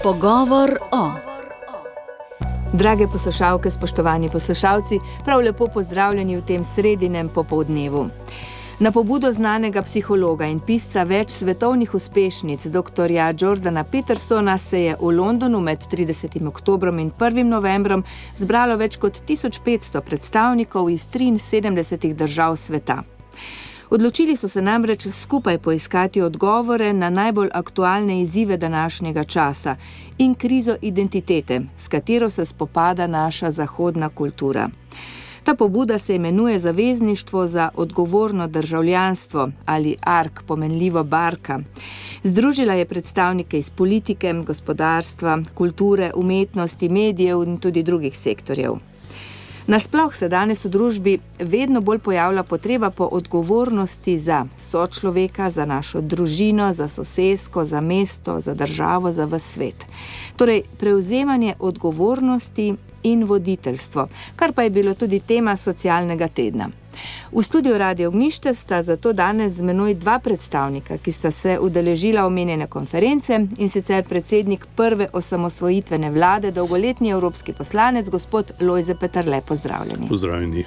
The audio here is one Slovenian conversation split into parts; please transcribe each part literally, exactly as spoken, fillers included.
Pogovor o. Drage poslušalke, spoštovani poslušalci, prav lepo pozdravljeni v tem sredinem popoldnevu. Na pobudo znanega psihologa in pisca več svetovnih uspešnic, doktorja Jordana Petersona, se je v Londonu med tridesetim oktobrom in prvim novembrom zbralo več kot tisoč petsto predstavnikov iz triinsedemdesetih držav sveta. Odločili so se namreč skupaj poiskati odgovore na najbolj aktualne izzive današnjega časa in krizo identitete, s katero se spopada naša zahodna kultura. Ta pobuda se imenuje Zavezništvo za odgovorno državljanstvo ali A R K, pomenljivo Barka. Združila je predstavnike iz politike, gospodarstva, kulture, umetnosti, medijev in tudi drugih sektorjev. Nasploh se danes v družbi vedno bolj pojavlja potreba po odgovornosti za sočloveka, za našo družino, za sosesko, za mesto, za državo, za ves svet. Torej, prevzemanje odgovornosti in voditeljstvo, kar pa je bilo tudi tema socialnega tedna. V studiu Radio Ognjišče sta zato danes z menoj dva predstavnika, ki sta se udeležila omenjene konference, in sicer predsednik prve osamosvojitvene vlade, dolgoletni evropski poslanec, gospod Lojze Peterle. Pozdravljeni. Pozdravljeni.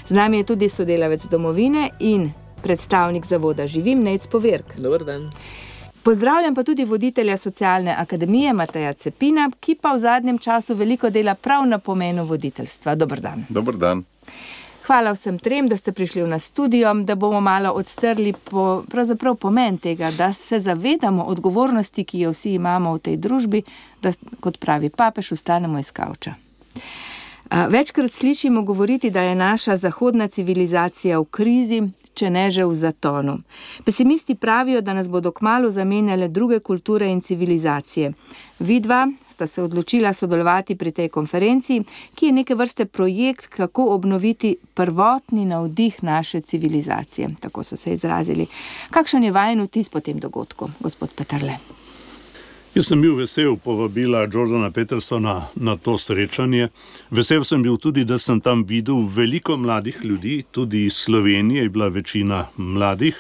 Z nami je tudi sodelavec Domovine in predstavnik zavoda Živim, Nejc Povirk. Dober dan. Pozdravljam pa tudi voditelja Socialne akademije Mateja Cepina, ki pa v zadnjem času veliko dela prav na pomenu voditeljstva. Dober dan. Dober dan. Hvala vsem trem, da ste prišli v nas studio, da bomo malo odstrli po, pravzaprav pomen tega, da se zavedamo odgovornosti, ki jo vsi imamo v tej družbi, da, kot pravi papež, vstanemo iz kavča. Večkrat slišimo govoriti, da je naša zahodna civilizacija v krizi, če ne že v zatonu. Pesimisti pravijo, da nas bodo kmalu zamenjale druge kulture in civilizacije. Vidva sta se odločila sodelovati pri tej konferenci, ki je neke vrste projekt, kako obnoviti prvotni navdih naše civilizacije. Tako so se izrazili. Kakšen je vajen vtis po tem dogodku, gospod Peterle? Jaz sem bil vesel povabila Jordana Petersona na to srečanje. Vesel sem bil tudi, da sem tam videl veliko mladih ljudi, tudi iz Slovenije je bila večina mladih.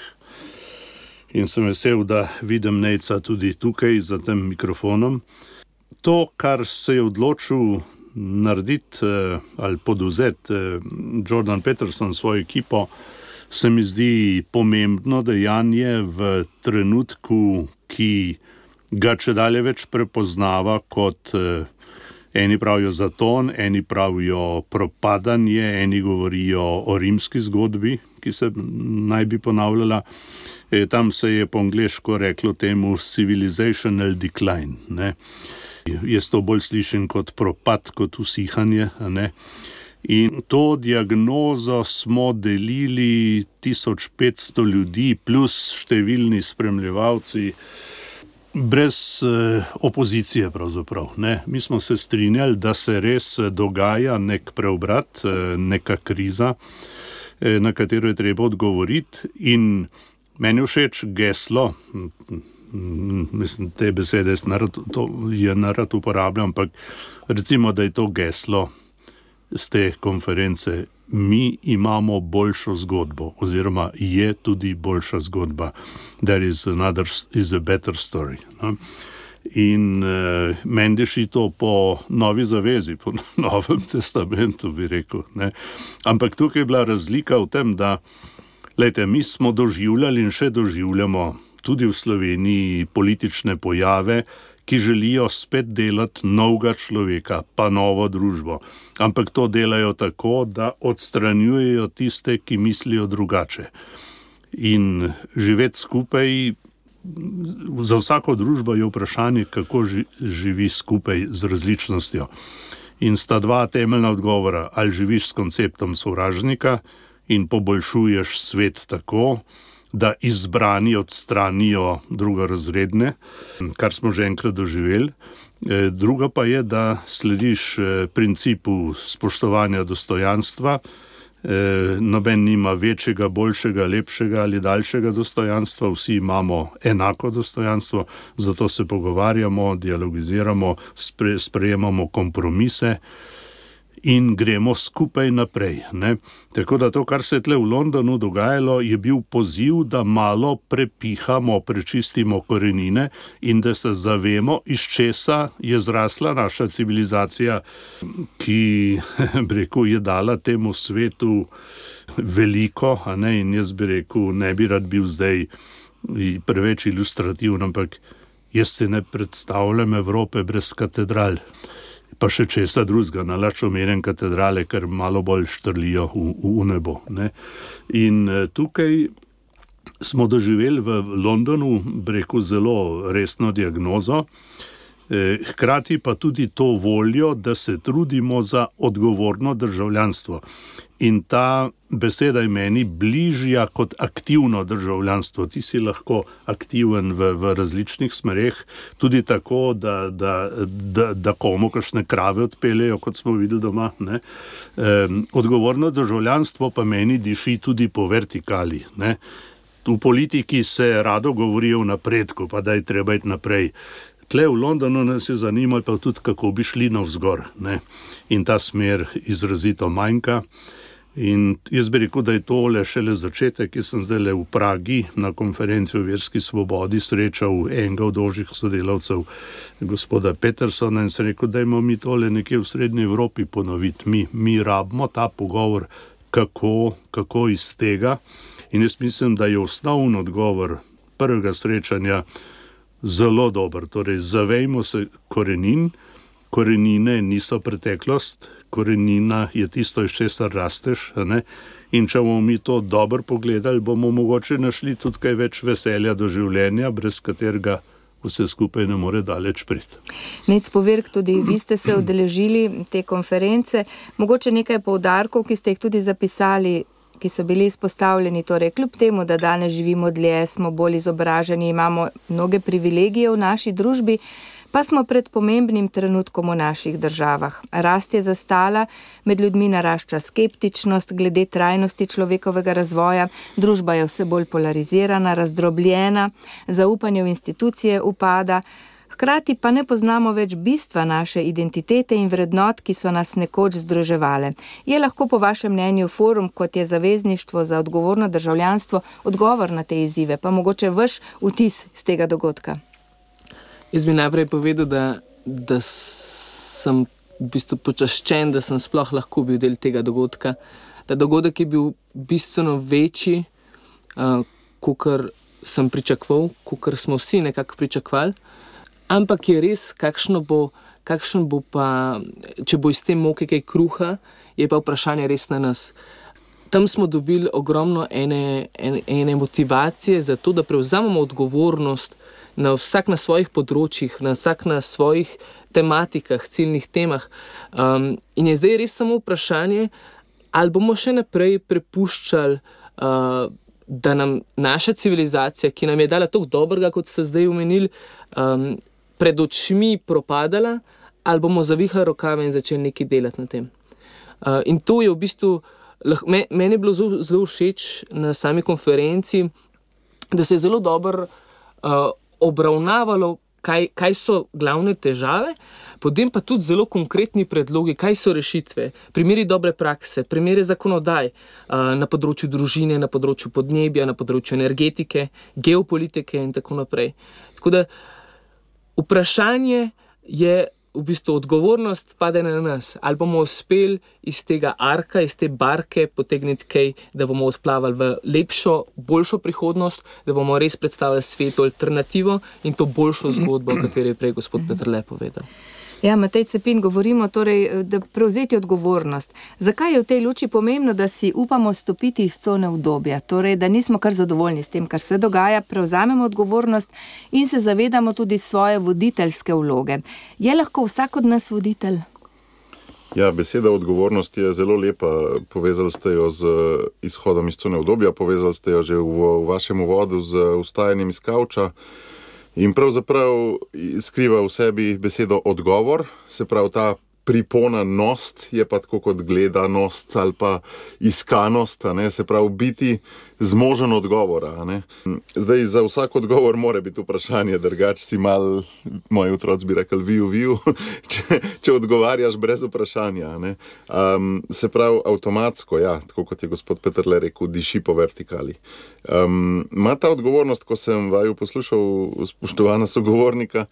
In sem vesel, da vidim Nejca tudi tukaj za tem mikrofonom. To, kar se je odločil narediti ali poduzeti Jordan Peterson svojo ekipo, se mi zdi pomembno dejanje v trenutku, ki ga če dalje več prepoznava kot eh, eni pravijo zaton, eni pravijo propadanje, eni govorijo o rimski zgodbi, ki se naj bi ponavljala. E, tam se je po angleško reklo temu civilizational decline. Ne? Jaz to bolj slišim kot propad, kot usihanje. Ne? In to diagnozo smo delili tisoč petsto ljudi plus številni spremljevalci, brez eh, opozicije pravzaprav. Ne? Mi smo se strinjali, da se res dogaja nek preobrat, eh, neka kriza, eh, na katero je treba odgovoriti. In meni všeč geslo, mislim, te besede narad, to je narad uporabljam, ampak recimo, da je to geslo z te konference: mi imamo boljšo zgodbo, oziroma je tudi boljša zgodba. There is another, is a better story. No? In uh, mendeši to po novi zavezi, po novem testamentu, bi rekel. Ne? Ampak tukaj je bila razlika v tem, da lejte, mi smo doživljali in še doživljamo tudi v Sloveniji politične pojave, ki želijo spet delati novega človeka, pa novo družbo. Ampak to delajo tako, da odstranjujejo tiste, ki mislijo drugače. In živeti skupaj, za vsako družbo je vprašanje, kako živi skupaj z različnostjo. In sta dva temeljna odgovora: ali živiš s konceptom sovražnika in poboljšuješ svet tako, da izbrani odstranijo drugorazredne, kar smo že enkrat doživeli. Druga pa je, da slediš principu spoštovanja dostojanstva. Noben nima večjega, boljšega, lepšega ali daljšega dostojanstva, vsi imamo enako dostojanstvo, zato se pogovarjamo, dialogiziramo, spre, sprejemamo kompromise in gremo skupaj naprej. Ne? Tako da to, kar se je tle v Londonu dogajalo, je bil poziv, da malo prepihamo, prečistimo korenine in da se zavemo, iz česa je zrasla naša civilizacija, ki bi rekel, je dala temu svetu veliko, a ne, in jaz bi rekel, ne bi rad bil zdaj preveč ilustrativen, ampak jaz se ne predstavljam Evrope brez katedral. Pa še česa drugega, nalač omenjen katedrale, ker malo bolj štrlijo v, v nebo. Ne. In tukaj smo doživeli v Londonu, breku, zelo resno diagnozo, eh, hkrati pa tudi to voljo, da se trudimo za odgovorno državljanstvo. In ta beseda je meni bližja kot aktivno državljanstvo. Ti si lahko aktiven v, v različnih smereh, tudi tako, da, da, da, da komu kakšne krave odpeljejo, kot smo videli doma. Ne? E, odgovorno državljanstvo pa meni diši tudi po vertikali. Ne? V politiki se rado govori o napredku, pa da je treba iti naprej. Tle v Londonu nas je zanimalo pa tudi, kako bi šli navzgor. Ne? In ta smer izrazito manjka. In jaz bi rekel, da je tole šele začetek, ki sem zdaj v Pragi na konferenci o verski svobodi srečal enega od ožjih sodelavcev, gospoda Petersona, in sem rekel, da imamo mi tole nekje v Srednji Evropi ponoviti. Mi, mi rabimo ta pogovor, kako, kako iz tega. In jaz mislim, da je osnovni odgovor prvega srečanja zelo dober. Torej, zavejmo se korenin, korenine niso preteklost, korenina je tisto, iz česar rasteš, ne? In če bomo mi to dobro pogledali, bomo mogoče našli tudi kaj več veselja do življenja, brez katerega vse skupaj ne more daleč priti. Nec Povirk, tudi vi ste se udeležili te konference, mogoče nekaj poudarkov, ki ste jih tudi zapisali, ki so bili izpostavljeni, torej kljub temu, da danes živimo dlje, smo bolj izobraženi, imamo mnoge privilegije v naši družbi, pa smo pred pomembnim trenutkom v naših državah. Rast je zastala, med ljudmi narašča skeptičnost glede trajnosti človekovega razvoja, družba je vse bolj polarizirana, razdrobljena, zaupanje v institucije upada, hkrati pa ne poznamo več bistva naše identitete in vrednot, ki so nas nekoč združevale. Je lahko po vašem mnenju forum, kot je Zavezništvo za odgovorno državljanstvo, odgovor na te izzive, pa mogoče vaš vtis z tega dogodka? Jaz bi najprej povedal, da, da sem v bistvu počaščen, da sem sploh lahko bil del tega dogodka. Ta dogodek je bil bistveno večji, uh, kakor sem pričakoval, kakor smo vsi nekako pričakovali. Ampak je res, kakšno bo, kakšen bo pa, če bo iz te moke kaj kruha, je pa vprašanje res na nas. Tam smo dobili ogromno ene, ene, ene motivacije za to, da prevzamemo odgovornost na vsak na svojih področjih, na vsak na svojih tematikah, ciljnih temah. Um, in je zdaj res samo vprašanje, ali bomo še naprej prepuščali, uh, da nam naša civilizacija, ki nam je dala toliko dobrega, kot ste zdaj omenili, um, pred očmi propadala, ali bomo zavihali rokave in začeli nekaj delati na tem. Uh, in to je v bistvu, me, meni je bilo zelo, zelo všeč na sami konferenci, da se je zelo dobro uh, obravnavalo, kaj, kaj so glavne težave, potem pa tudi zelo konkretni predlogi, kaj so rešitve, primeri dobre prakse, primeri zakonodaj uh, na področju družine, na področju podnebja, na področju energetike, geopolitike in tako naprej. Tako da vprašanje je v bistvu odgovornost pade na nas. Ali bomo uspeli iz tega arka, iz te barke potegniti kaj, da bomo odplavali v lepšo, boljšo prihodnost, da bomo res predstavili svetu alternativo in to boljšo zgodbo, o kateri je prej gospod Peterle povedal. Ja, Matej Cepin, govorimo torej, da prevzeti odgovornost. Zakaj je v tej luči pomembno, da si upamo stopiti iz cone udobja? Torej, da nismo kar zadovoljni s tem, kar se dogaja, prevzamemo odgovornost in se zavedamo tudi svoje voditeljske vloge. Je lahko vsak od nas voditelj? Ja, beseda odgovornost je zelo lepa. Povezali ste jo z izhodom iz cone udobja, povezali ste jo že v, v vašem uvodu z vstajanjem iz kavča. In pravzaprav skriva v sebi besedo odgovor, se pravi ta priponanost je pa tako kot gledanost ali pa iskanost, a ne, se pravi biti zmožen odgovora. A ne. Zdaj, za vsak odgovor mora biti vprašanje, drugače si mal, moji otroci bi rekli, viju, viju, če, če odgovarjaš brez vprašanja. A ne. Um, se pravi, avtomatsko, ja, tako kot je gospod Peterle rekel, diši po vertikali. Um, ima ta odgovornost, ko sem vaju poslušal, spoštovana sogovornika,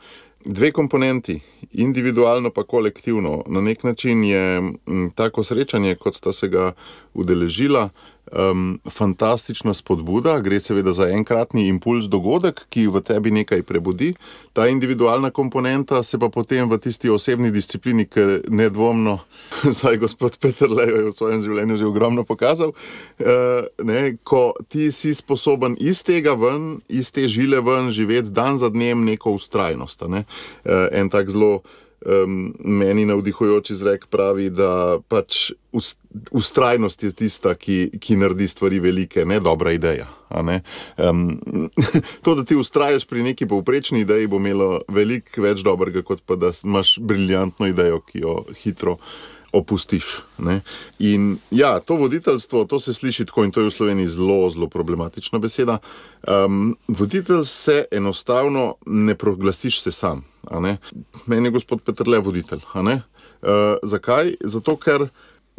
dve komponenti, individualno pa kolektivno. Na nek način je m, tako srečanje, kot sta se ga udeležila, um, fantastična spodbuda, gre seveda za enkratni impuls dogodek, ki v tebi nekaj prebudi. Ta individualna komponenta se pa potem v tisti osebni disciplini, ker nedvomno, saj gospod Peterle je v svojem življenju že ogromno pokazal, uh, ne, ko ti si sposoben iz tega ven, iz te žile ven živeti dan za dnem neko vztrajnost. Ne. Uh, en tak zelo Um, meni navdihujoč izrek pravi, da pač vztrajnost je tista, ki, ki naredi stvari velike, ne dobra ideja. A ne? Um, to, da ti vztrajaš pri neki povprečni ideji, bo imelo veliko več dobrega, kot pa da imaš briljantno idejo, ki jo hitro opustiš. Ne? In ja, to voditeljstvo, to se sliši tako in to je v Sloveniji zelo, zelo problematična beseda. Um, voditelj se enostavno ne proglasiš se sam. A ne? Meni je gospod Peterle voditelj. A ne? Uh, zakaj? Zato, ker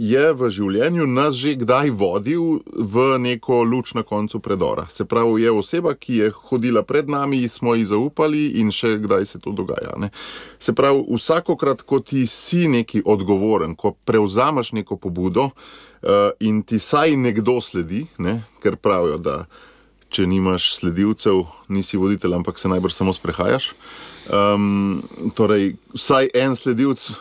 je v življenju nas že kdaj vodil v neko luč na koncu predora. Se pravi, je oseba, ki je hodila pred nami, smo ji zaupali in še kdaj se to dogaja. Ne? Se pravi, vsakokrat, ko ti si neki odgovoren, ko prevzameš neko pobudo uh, in ti saj nekdo sledi, ne? Ker pravijo, da če nimaš sledilcev, nisi voditelj, ampak se najbrž samo sprehajaš. Um, torej, vsaj en sledilc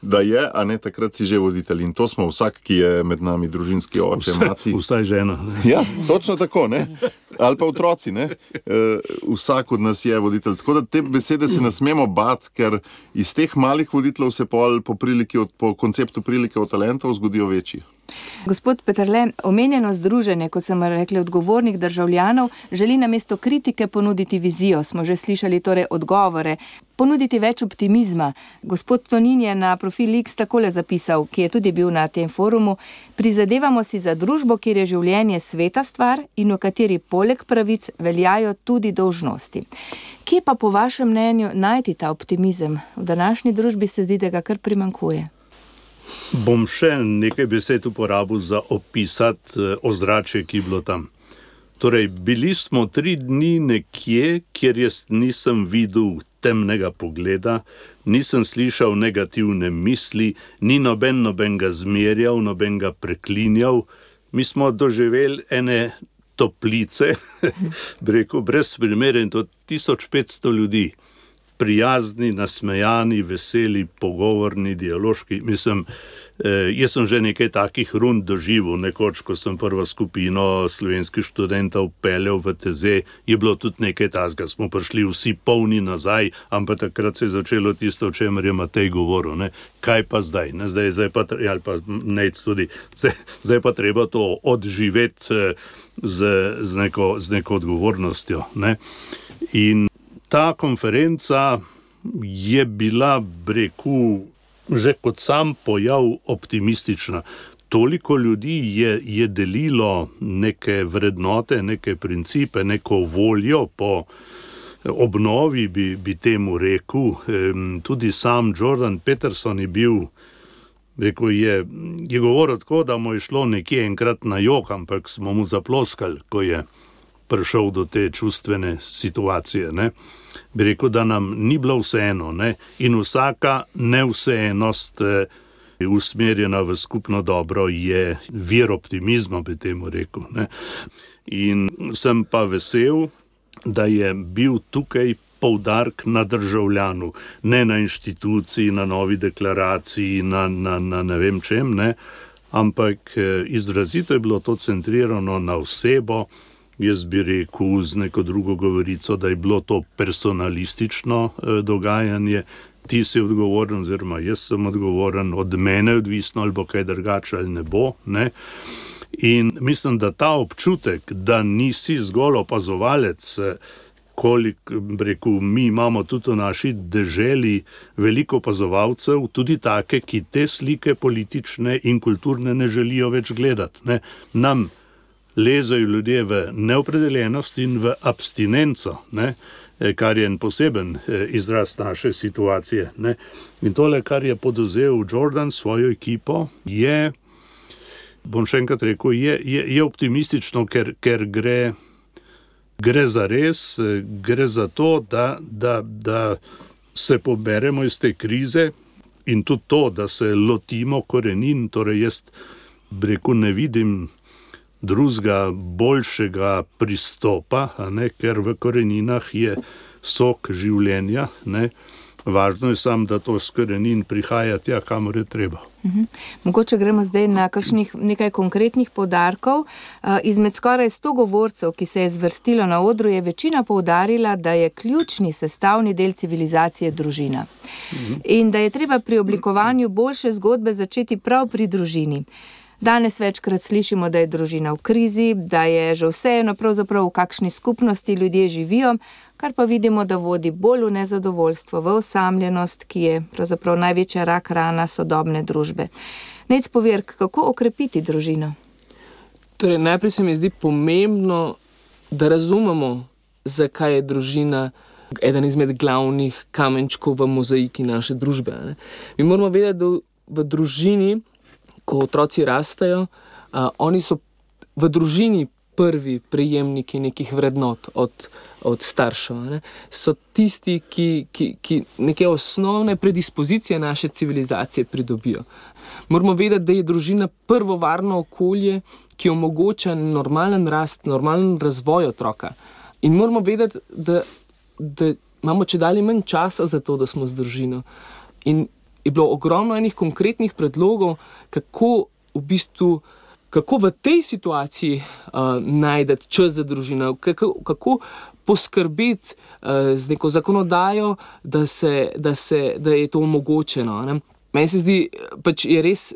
da je, a ne, takrat si že voditelj. In to smo vsak, ki je med nami družinski oče, vse, mati. Vsaj žena. Ne? Ja, točno tako, ne. Ali pa otroci, ne. E, vsak od nas je voditelj. Tako da te besede se ne smemo bati, ker iz teh malih voditeljev se pol po, priliki od, po konceptu prilike od talentov zgodijo večji. Gospod Peterle, omenjeno združenje, kot sem rekli, odgovornih državljanov, želi namesto kritike ponuditi vizijo. Smo že slišali torej odgovore, ponuditi več optimizma. Gospod Tonin je na profil X takole zapisal, ki je tudi bil na tem forumu: prizadevamo si za družbo, kjer je življenje sveta stvar in v kateri poleg pravic veljajo tudi dolžnosti. Kje pa po vašem mnenju najti ta optimizem? V današnji družbi se zdi, da ga kar primanjkuje. Bom še nekaj besed uporabil za opisati ozračje, ki je bilo tam. Torej, bili smo tri dni nekje, kjer jaz nisem videl temnega pogleda, nisem slišal negativne misli, ni noben nobenega zmerjal, nobenega preklinjal. Mi smo doživeli ene toplice, rekel, brez primere, in to tisoč petsto ljudi. Prijazni, nasmejani, veseli, pogovorni, dialoški. Mislim, eh, jaz sem že nekaj takih rund doživel, nekoč, ko sem prvo skupino slovenskih študentov peljal v T Z, je bilo tudi nekaj takega, smo prišli vsi polni nazaj, ampak takrat se je začelo tisto, o čemer je Matej govoril, ne? Kaj pa zdaj? Ne? Zdaj, zdaj pa, ali pa Nejc tudi, zdaj, zdaj pa treba to odživeti eh, z, z, neko, z neko odgovornostjo. Ne? In ta konferenca je bila, rekel, že kot sam pojav optimistična. Toliko ljudi je, je delilo neke vrednote, neke principe, neko voljo po obnovi, bi, bi temu rekel. Tudi sam Jordan Peterson je bil, rekel, je, je govoril tako, da mu je šlo nekje enkrat na jok, ampak smo mu zaploskali, ko je prišel do te čustvene situacije, ne. Bi rekel, da nam ni bilo vseeno, ne, in vsaka nevseenosť eh, usmerjena v skupno dobro je vir optimizma, bi temu rekel, ne. In sem pa vesel, da je bil tukaj poudarek na državljanu, ne na inštituciji, na novi deklaraciji, na, na, na ne vem čem, ne, ampak eh, izrazito je bilo to centrirano na osebo. Jaz bi rekel z neko drugo govorico, da je bilo to personalistično eh, dogajanje. Ti si odgovoren, oziroma jaz sem odgovoren, od mene odvisno, ali bo kaj drugače ali ne bo. Ne? In mislim, da ta občutek, da nisi zgolj opazovalec, koliko, rekel, mi imamo tudi v naši deželi veliko opazovalcev, tudi take, ki te slike politične in kulturne ne želijo več gledati. Ne. Nam lezajo ljudje v neopredeljenost in v abstinenco, ne, kar je en poseben izraz naše situacije. Ne. In tole, kar je podozel Jordan s svojo ekipo, je, bom še enkrat rekel, je, je, je optimistično, ker, ker gre, gre za res, gre za to, da, da, da se poberemo iz te krize in tudi to, da se lotimo korenin, torej jaz rekel, ne vidim drugega, boljšega pristopa, a ne, ker v koreninah je sok življenja, ne. Važno je samo, da to s korenin prihaja tja, kamor je treba. Uhum. Mogoče gremo zdaj na kakšnih nekaj konkretnih poudarkov. Izmed skoraj sto govorcev, ki se je zvrstilo na odru, je večina poudarila, da je ključni sestavni del civilizacije družina. Uhum. In da je treba pri oblikovanju boljše zgodbe začeti prav pri družini. Danes večkrat slišimo, da je družina v krizi, da je že vseeno pravzaprav v kakšni skupnosti ljudje živijo, kar pa vidimo, da vodi bolj v nezadovoljstvo, v osamljenost, ki je pravzaprav največja rak rana sodobne družbe. Nejc Povirk, kako okrepiti družino? Torej, najprej se mi zdi pomembno, da razumemo, zakaj je družina eden izmed glavnih kamenčkov v mozaiki naše družbe. Ne? Mi moramo vedeti, da v družini, ko otroci rastajo, uh, oni so v družini prvi prejemniki nekih vrednot od, od staršev. Ne? So tisti, ki, ki, ki neke osnovne predispozicije naše civilizacije pridobijo. Moramo vedeti, da je družina prvo varno okolje, ki omogoča normalen rast, normalen razvoj otroka. In moramo vedeti, da, da imamo čedalje manj časa za to, da smo z družino. In je bilo ogromno enih konkretnih predlogov, kako v bistvu, kako v tej situaciji uh, najdeti čas za družino, kako, kako poskrbeti uh, z neko zakonodajo, da, se, da, se, da je to omogočeno. Ne? Meni se zdi, pač je res,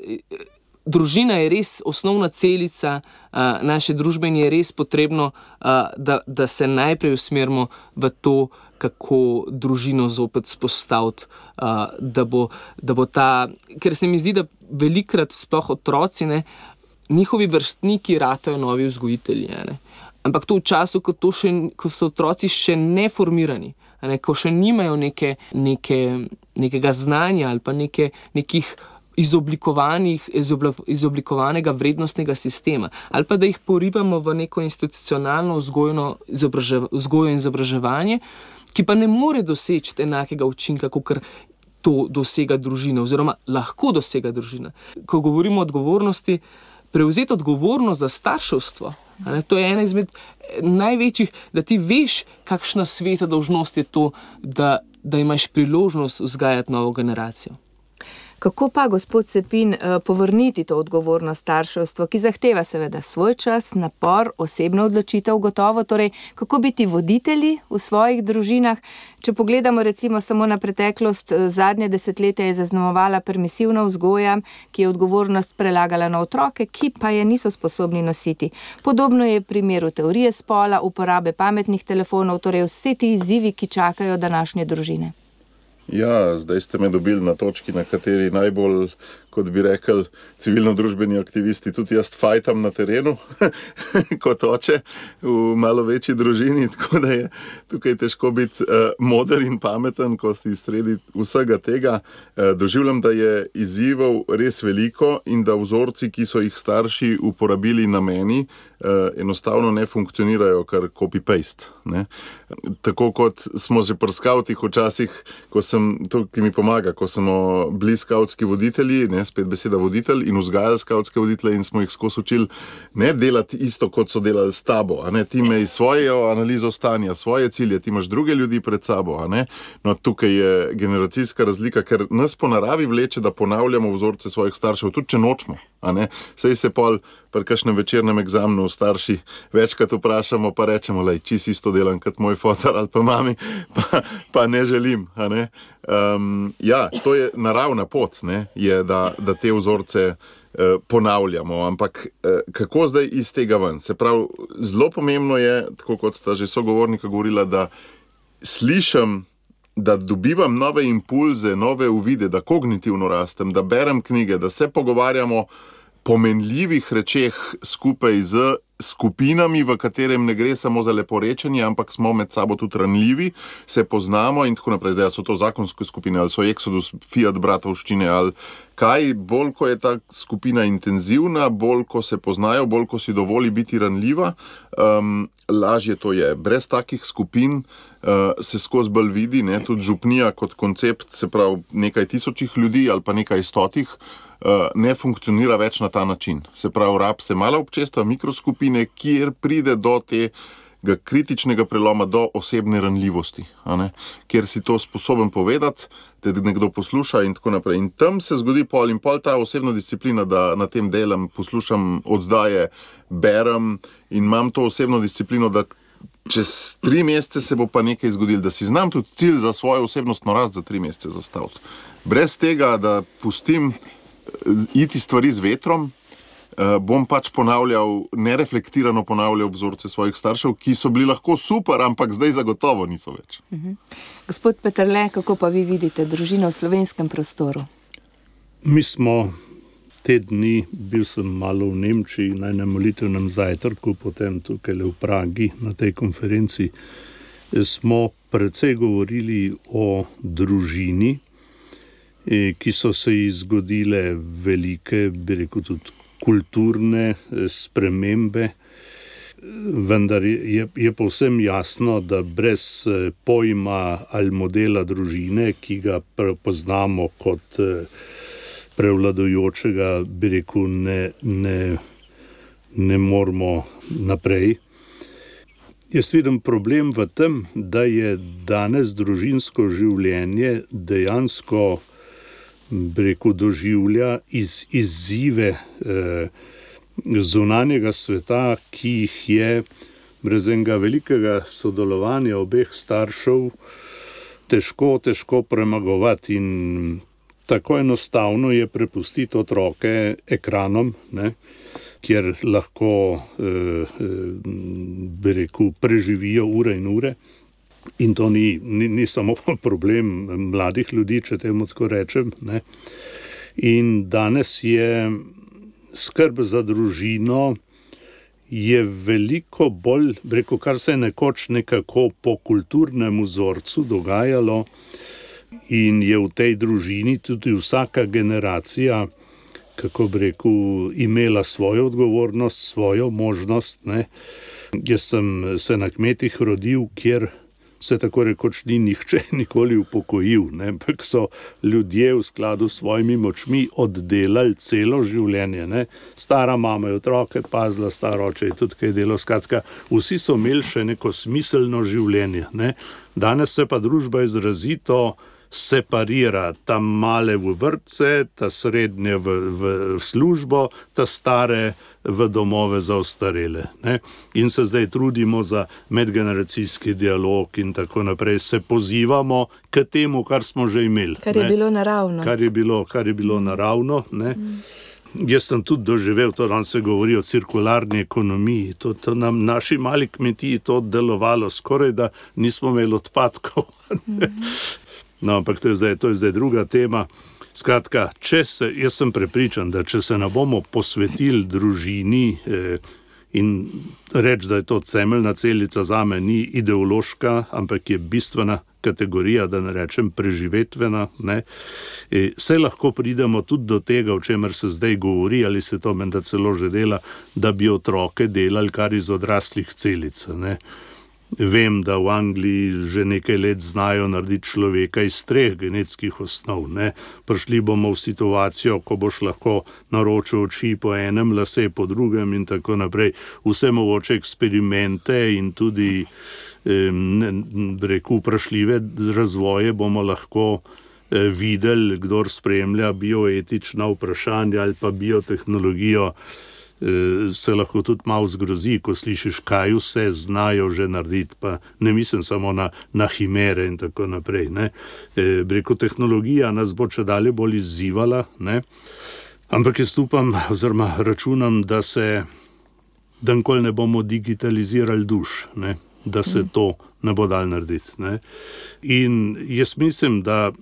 družina je res osnovna celica uh, naše družbe in je res potrebno, uh, da, da se najprej usmerimo v to, kako družino zopet spostaviti, uh, da, bo, da bo ta, ker se mi zdi, da velikrat sploh otroci, ne, njihovi vrstniki ratajo novi vzgojitelji, ne. Ampak to v času, ko, to še, ko so otroci še neformirani, ne, ko še nimajo neke, neke, nekega znanja ali pa neke, nekih izoblikovanih, izoblikovanega vrednostnega sistema, ali pa da jih porivamo v neko institucionalno vzgojno vzgojo in izobraževanje, ki pa ne more doseči enakega učinka, kakor to dosega družina, oziroma lahko dosega družina. Ko govorimo o odgovornosti, prevzeti odgovornost za starševstvo, ne, to je ena izmed največjih, da ti veš, kakšna sveta dolžnost je to, da, da imaš priložnost vzgajati novo generacijo. Kako pa, gospod Cepin, povrniti to odgovornost starševstvo, ki zahteva seveda svoj čas, napor, osebno odločitev gotovo, torej kako biti voditelji v svojih družinah? Če pogledamo recimo samo na preteklost, zadnje desetletje je zaznamovala permisivna vzgoja, ki je odgovornost prelagala na otroke, ki pa je niso sposobni nositi. Podobno je v primeru teorije spola, uporabe pametnih telefonov, torej vse ti izzivi, ki čakajo današnje družine. Ja, zdaj ste me dobili na točki, na kateri najbolj, kot bi rekel, civilno-družbeni aktivisti, tudi jaz fajtam na terenu, kot oče v malo večji družini, tako da je tukaj težko biti uh, moder in pameten, ko si sredi vsega tega. Uh, doživljam, da je izzivov res veliko in da vzorci, ki so jih starši uporabili na meni, uh, enostavno ne funkcionirajo kar copy-paste. Ne? Tako kot smo že pri skavtih včasih, ko sem, to, ki mi pomaga, ko smo bili skavtski voditelji, ne, spet beseda voditelj, in vzgajali skavtske voditelje in smo jih skozi učili ne delati isto, kot so delali s tabo, a ne, ti imej svojo analizo stanja, svoje cilje, ti imaš druge ljudi pred sabo, a ne. No, tukaj je generacijska razlika, ker nas po naravi vleče, da ponavljamo vzorce svojih staršev, tudi če nočemo, a ne. Sej se pol pri kakšnem večernem egzamnu starši večkrat vprašamo, pa rečemo, lej, čist isto delam kot moj fotar ali pa mami, pa, pa ne želim, a ne. Um, ja, to je naravna pot, ne, je, da, da te vzorce ponavljamo, ampak kako zdaj iz tega ven? Se pravi, zelo pomembno je, tako kot sta že sogovornika govorila, da slišim, da dobivam nove impulze, nove uvide, da kognitivno rastem, da berem knjige, da se pogovarjamo pomenljivih rečeh skupaj z skupinami, v katerem ne gre samo za leporečenje, ampak smo med sabo tudi ranljivi, se poznamo in tako naprej. Zdaj so to zakonske skupine, ali so Exodus, Fiat bratovščine, ali kaj, bolj ko je ta skupina intenzivna, bolj ko se poznajo, bolj ko si dovoli biti ranljiva, um, lažje to je. Brez takih skupin uh, se skozi bolj vidi, ne, tudi župnija kot koncept, se pravi nekaj tisočih ljudi ali pa nekaj stotih, Uh, ne funkcionira več na ta način. Se pravi, rab se mala občestva, mikroskupine, kjer pride do tega kritičnega preloma, do osebne ranljivosti, a ne? Kjer si to sposoben povedati, te nekdo posluša in tako naprej. In tam se zgodi pol in pol ta osebna disciplina, da na tem delam, poslušam oddaje, berem in imam to osebno disciplino, da čez tri mesece se bo pa nekaj zgodilo, da si znam tudi cilj za svojo osebnostno rast za tri mesece zastaviti. Brez tega, da pustim iti stvari z vetrom, bom pač ponavljal, nereflektirano ponavljal vzorce svojih staršev, ki so bili lahko super, ampak zdaj zagotovo niso več. Uh-huh. Gospod Peterle, kako pa vi vidite družino v slovenskem prostoru? Mi smo te dni, bil sem malo v Nemčiji na enem molitvenem zajtrku, potem tukaj v Pragi na tej konferenci, smo precej govorili o družini, ki so se ji zgodile velike, bi rekel, tudi kulturne spremembe, vendar je, je povsem jasno, da brez pojma ali modela družine, ki ga prepoznamo kot prevladujočega, bi rekel, ne, ne, ne moramo naprej. Jaz vidim problem v tem, da je danes družinsko življenje dejansko rekel, doživlja iz, izzive eh, zunanjega sveta, ki jih je brez enega velikega sodelovanja obeh staršev težko, težko premagovati in tako enostavno je prepustiti otroke ekranom, ne, kjer lahko eh, bi rekel, preživijo ure in ure. In to ni, ni, ni samo problem mladih ljudi, če temu tako rečem, ne. In danes je skrb za družino je veliko bolj, rekel, kar se je nekoč nekako po kulturnem vzorcu dogajalo in je v tej družini tudi vsaka generacija, kako bi rekel, imela svojo odgovornost, svojo možnost, ne. Jaz sem se na kmetih rodil, kjer se tako rekoč ni nihče nikoli upokojil, ne, ampak so ljudje v skladu s svojimi močmi oddelali celo življenje, ne. Stara mama je otroke pazila, star oče je tudi kaj delo, skratka, vsi so imeli še neko smiselno življenje, ne. Danes se pa družba izrazito separira, ta male v vrtce, ta srednje v, v službo, ta stare v domove za ostarele, ne. In se zdaj trudimo za medgeneracijski dialog in tako naprej, se pozivamo k temu, kar smo že imeli. Kar je ne. bilo naravno. Kar je bilo, kar je bilo mm. naravno, ne. Mm. Jaz sem tudi doživel, to danes se govori o cirkularni ekonomiji, to, to nam naši mali kmetiji to delovalo skoraj, da nismo imeli odpadkov. Mm. No, ampak to je, zdaj, to je zdaj druga tema. Skratka, če se, jaz sem prepričan, da če se ne bomo posvetili družini eh, in reči, da je to temeljna celica zame, ni ideološka, ampak je bistvena kategorija, da ne rečem preživetvena, ne, e, se lahko pridemo tudi do tega, o čemer se zdaj govori, ali se to menda celo že dela, da bi otroke delali kar iz odraslih celic, ne. Vem, da v Angliji že nekaj let znajo narediti človeka iz treh genetskih osnov, ne. Prišli bomo v situacijo, ko boš lahko naročil oči po enem, lase po drugem in tako naprej. Vse mogoče eksperimente in tudi rekel, vprašljive razvoje bomo lahko eh, videli, kdor spremlja bioetična vprašanja ali pa biotehnologijo, se lahko tudi malo zgrozi, ko slišiš, kaj vse znajo že narediti, pa ne mislim samo na, na himere in tako naprej, ne. E, breko tehnologija nas bo če dalje bolj izzivala, ne. Ampak jaz upam, oziroma računam, da se da nikoli ne bomo digitalizirali duš, ne? Da se to ne bo dal narediti. Ne? In jaz mislim, da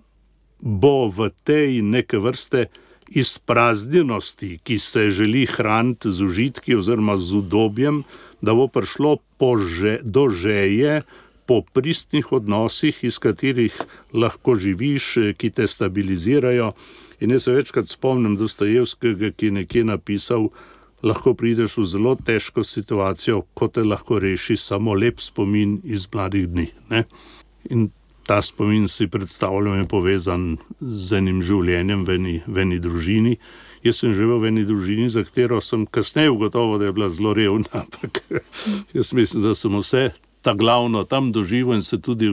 bo v tej neke vrste izpraznjenosti, ki se želi hraniti z užitki oziroma z udobjem, da bo prišlo že, do žeje po pristnih odnosih, iz katerih lahko živiš, ki te stabilizirajo. In jaz se večkrat spomnim Dostojevskega, ki je nekje napisal, lahko prideš v zelo težko situacijo, ko te lahko reši samo lep spomin iz mladih dni. Ne? In ta spomin si predstavljam je povezan z enim življenjem v eni, v eni družini. Jaz sem živel v eni družini, za katero sem kasneje ugotovil, da je bila zelo revna, ampak jaz mislim, da sem vse ta glavno tam doživel in se tudi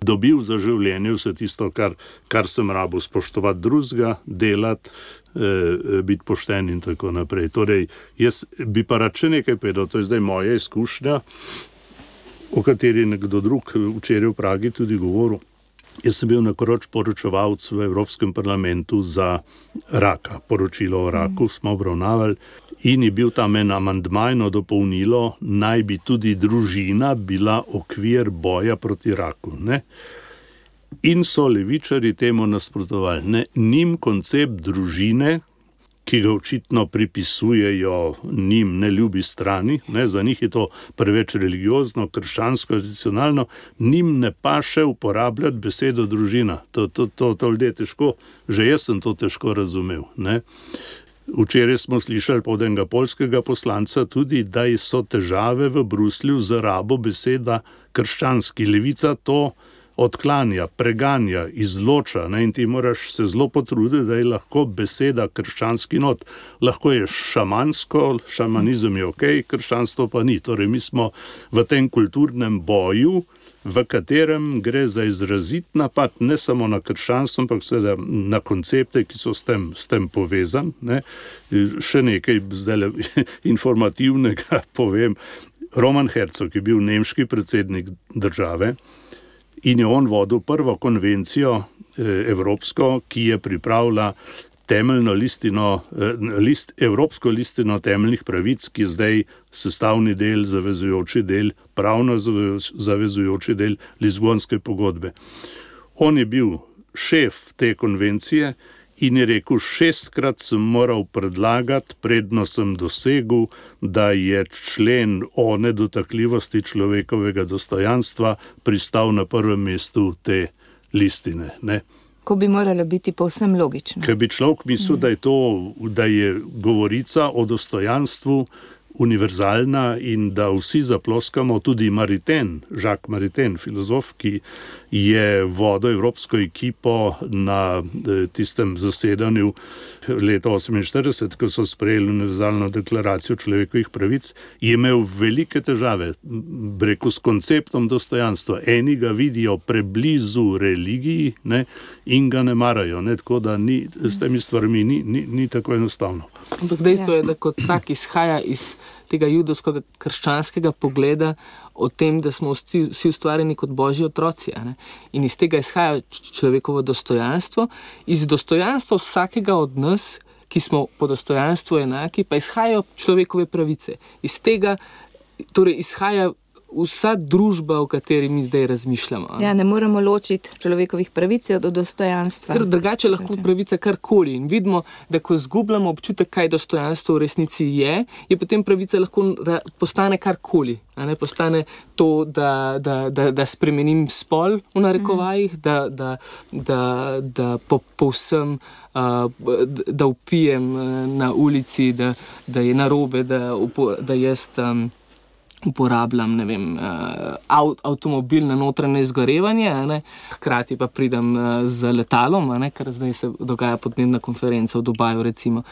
dobil za življenje, vse tisto, kar, kar sem rabil, spoštovati drugega, delati, eh, biti pošten in tako naprej. Torej, jaz bi pa rad še nekaj povedal, to je zdaj moja izkušnja, o kateri nekdo drug včeraj v Pragi tudi govoril. Jaz sem bil nekoč poročevalec v Evropskem parlamentu za raka. Poročilo o raku smo obravnavali in je bil tam en amandma in dopolnilo, naj bi tudi družina bila okvir boja proti raku. Ne? In so levičari temu nasprotovali. Ne? Njim koncept družine, ki ga očitno pripisujejo njim neljubi strani, ne, za njih je to preveč religiozno, krščansko, tradicionalno, njim ne paše uporabljati besedo družina. To, to, to, to ljudje težko, že jaz sem to težko razumel. Ne. Včeraj smo slišali od enega poljskega poslanca tudi, da so težave v Bruslju z rabo beseda krščanski. Levica to odklanja, preganja, izloča, ne, in ti moraš se zelo potruditi, da je lahko beseda krščanski not. Lahko je šamansko, šamanizem je ok, krščanstvo pa ni. Torej, mi smo v tem kulturnem boju, v katerem gre za izrazit napad ne samo na krščanstvo, ampak seveda na koncepte, ki so s tem, s tem povezani. Ne. Še nekaj zdaj informativnega povem. Roman Herzog je bil nemški predsednik države, in je on vodil prvo konvencijo eh, evropsko, ki je pripravila temeljno listino, eh, list, evropsko listino temeljnih pravic, ki je zdaj sestavni del, zavezujoči del, pravno zavezujoči del Lizbonske pogodbe. On je bil šef te konvencije in je rekel, šestkrat sem moral predlagati, predno sem dosegel, da je člen o nedotakljivosti človekovega dostojanstva pristal na prvem mestu te listine. Ne? Ko bi moralo biti povsem logično. Ker bi človek mislil, da je to, da je govorica o dostojanstvu univerzalna in da vsi zaploskamo, tudi Maritain, Jacques Maritain, filozof, ki je vodil evropsko ekipo na tistem zasedanju leta oseminštirideset, ko so sprejeli univerzalno deklaracijo človekovih pravic, je imel velike težave, rekel, s konceptom dostojanstva. Eni ga vidijo preblizu religiji, ne, in ga ne marajo, ne, tako da ni, s temi stvarmi ni, ni, ni tako enostavno. Ampak dejstvo je, da kot tak izhaja iz tega judovskega krščanskega pogleda o tem, da smo vsi, vsi ustvarjeni kot božji otroci. Ne? In iz tega izhaja človekovo dostojanstvo. Iz dostojanstva vsakega od nas, ki smo po dostojanstvu enaki, pa izhajajo človekove pravice. Iz tega torej izhaja vsa družba, o kateri mi zdaj razmišljamo. Ja, ne moremo ločiti človekovih pravic od dostojanstva. Ker drugače lahko pravica karkoli. In vidimo, da ko zgubljamo občutek, kaj dostojanstvo v resnici je, je potem pravica lahko postane karkoli. A ne, postane to, da, da, da, da spremenim spol v narekovajih, mm. da, da, da, da po, povsem uh, da vpijem na ulici, da, da je narobe, da, da jaz um, uporabljam, ne vem, avt, avtomobil na notranje izgorevanje, ne, hkrati pa pridem z letalom, ne, ker zdaj se dogaja podnebna konferenca v Dubaju, recimo.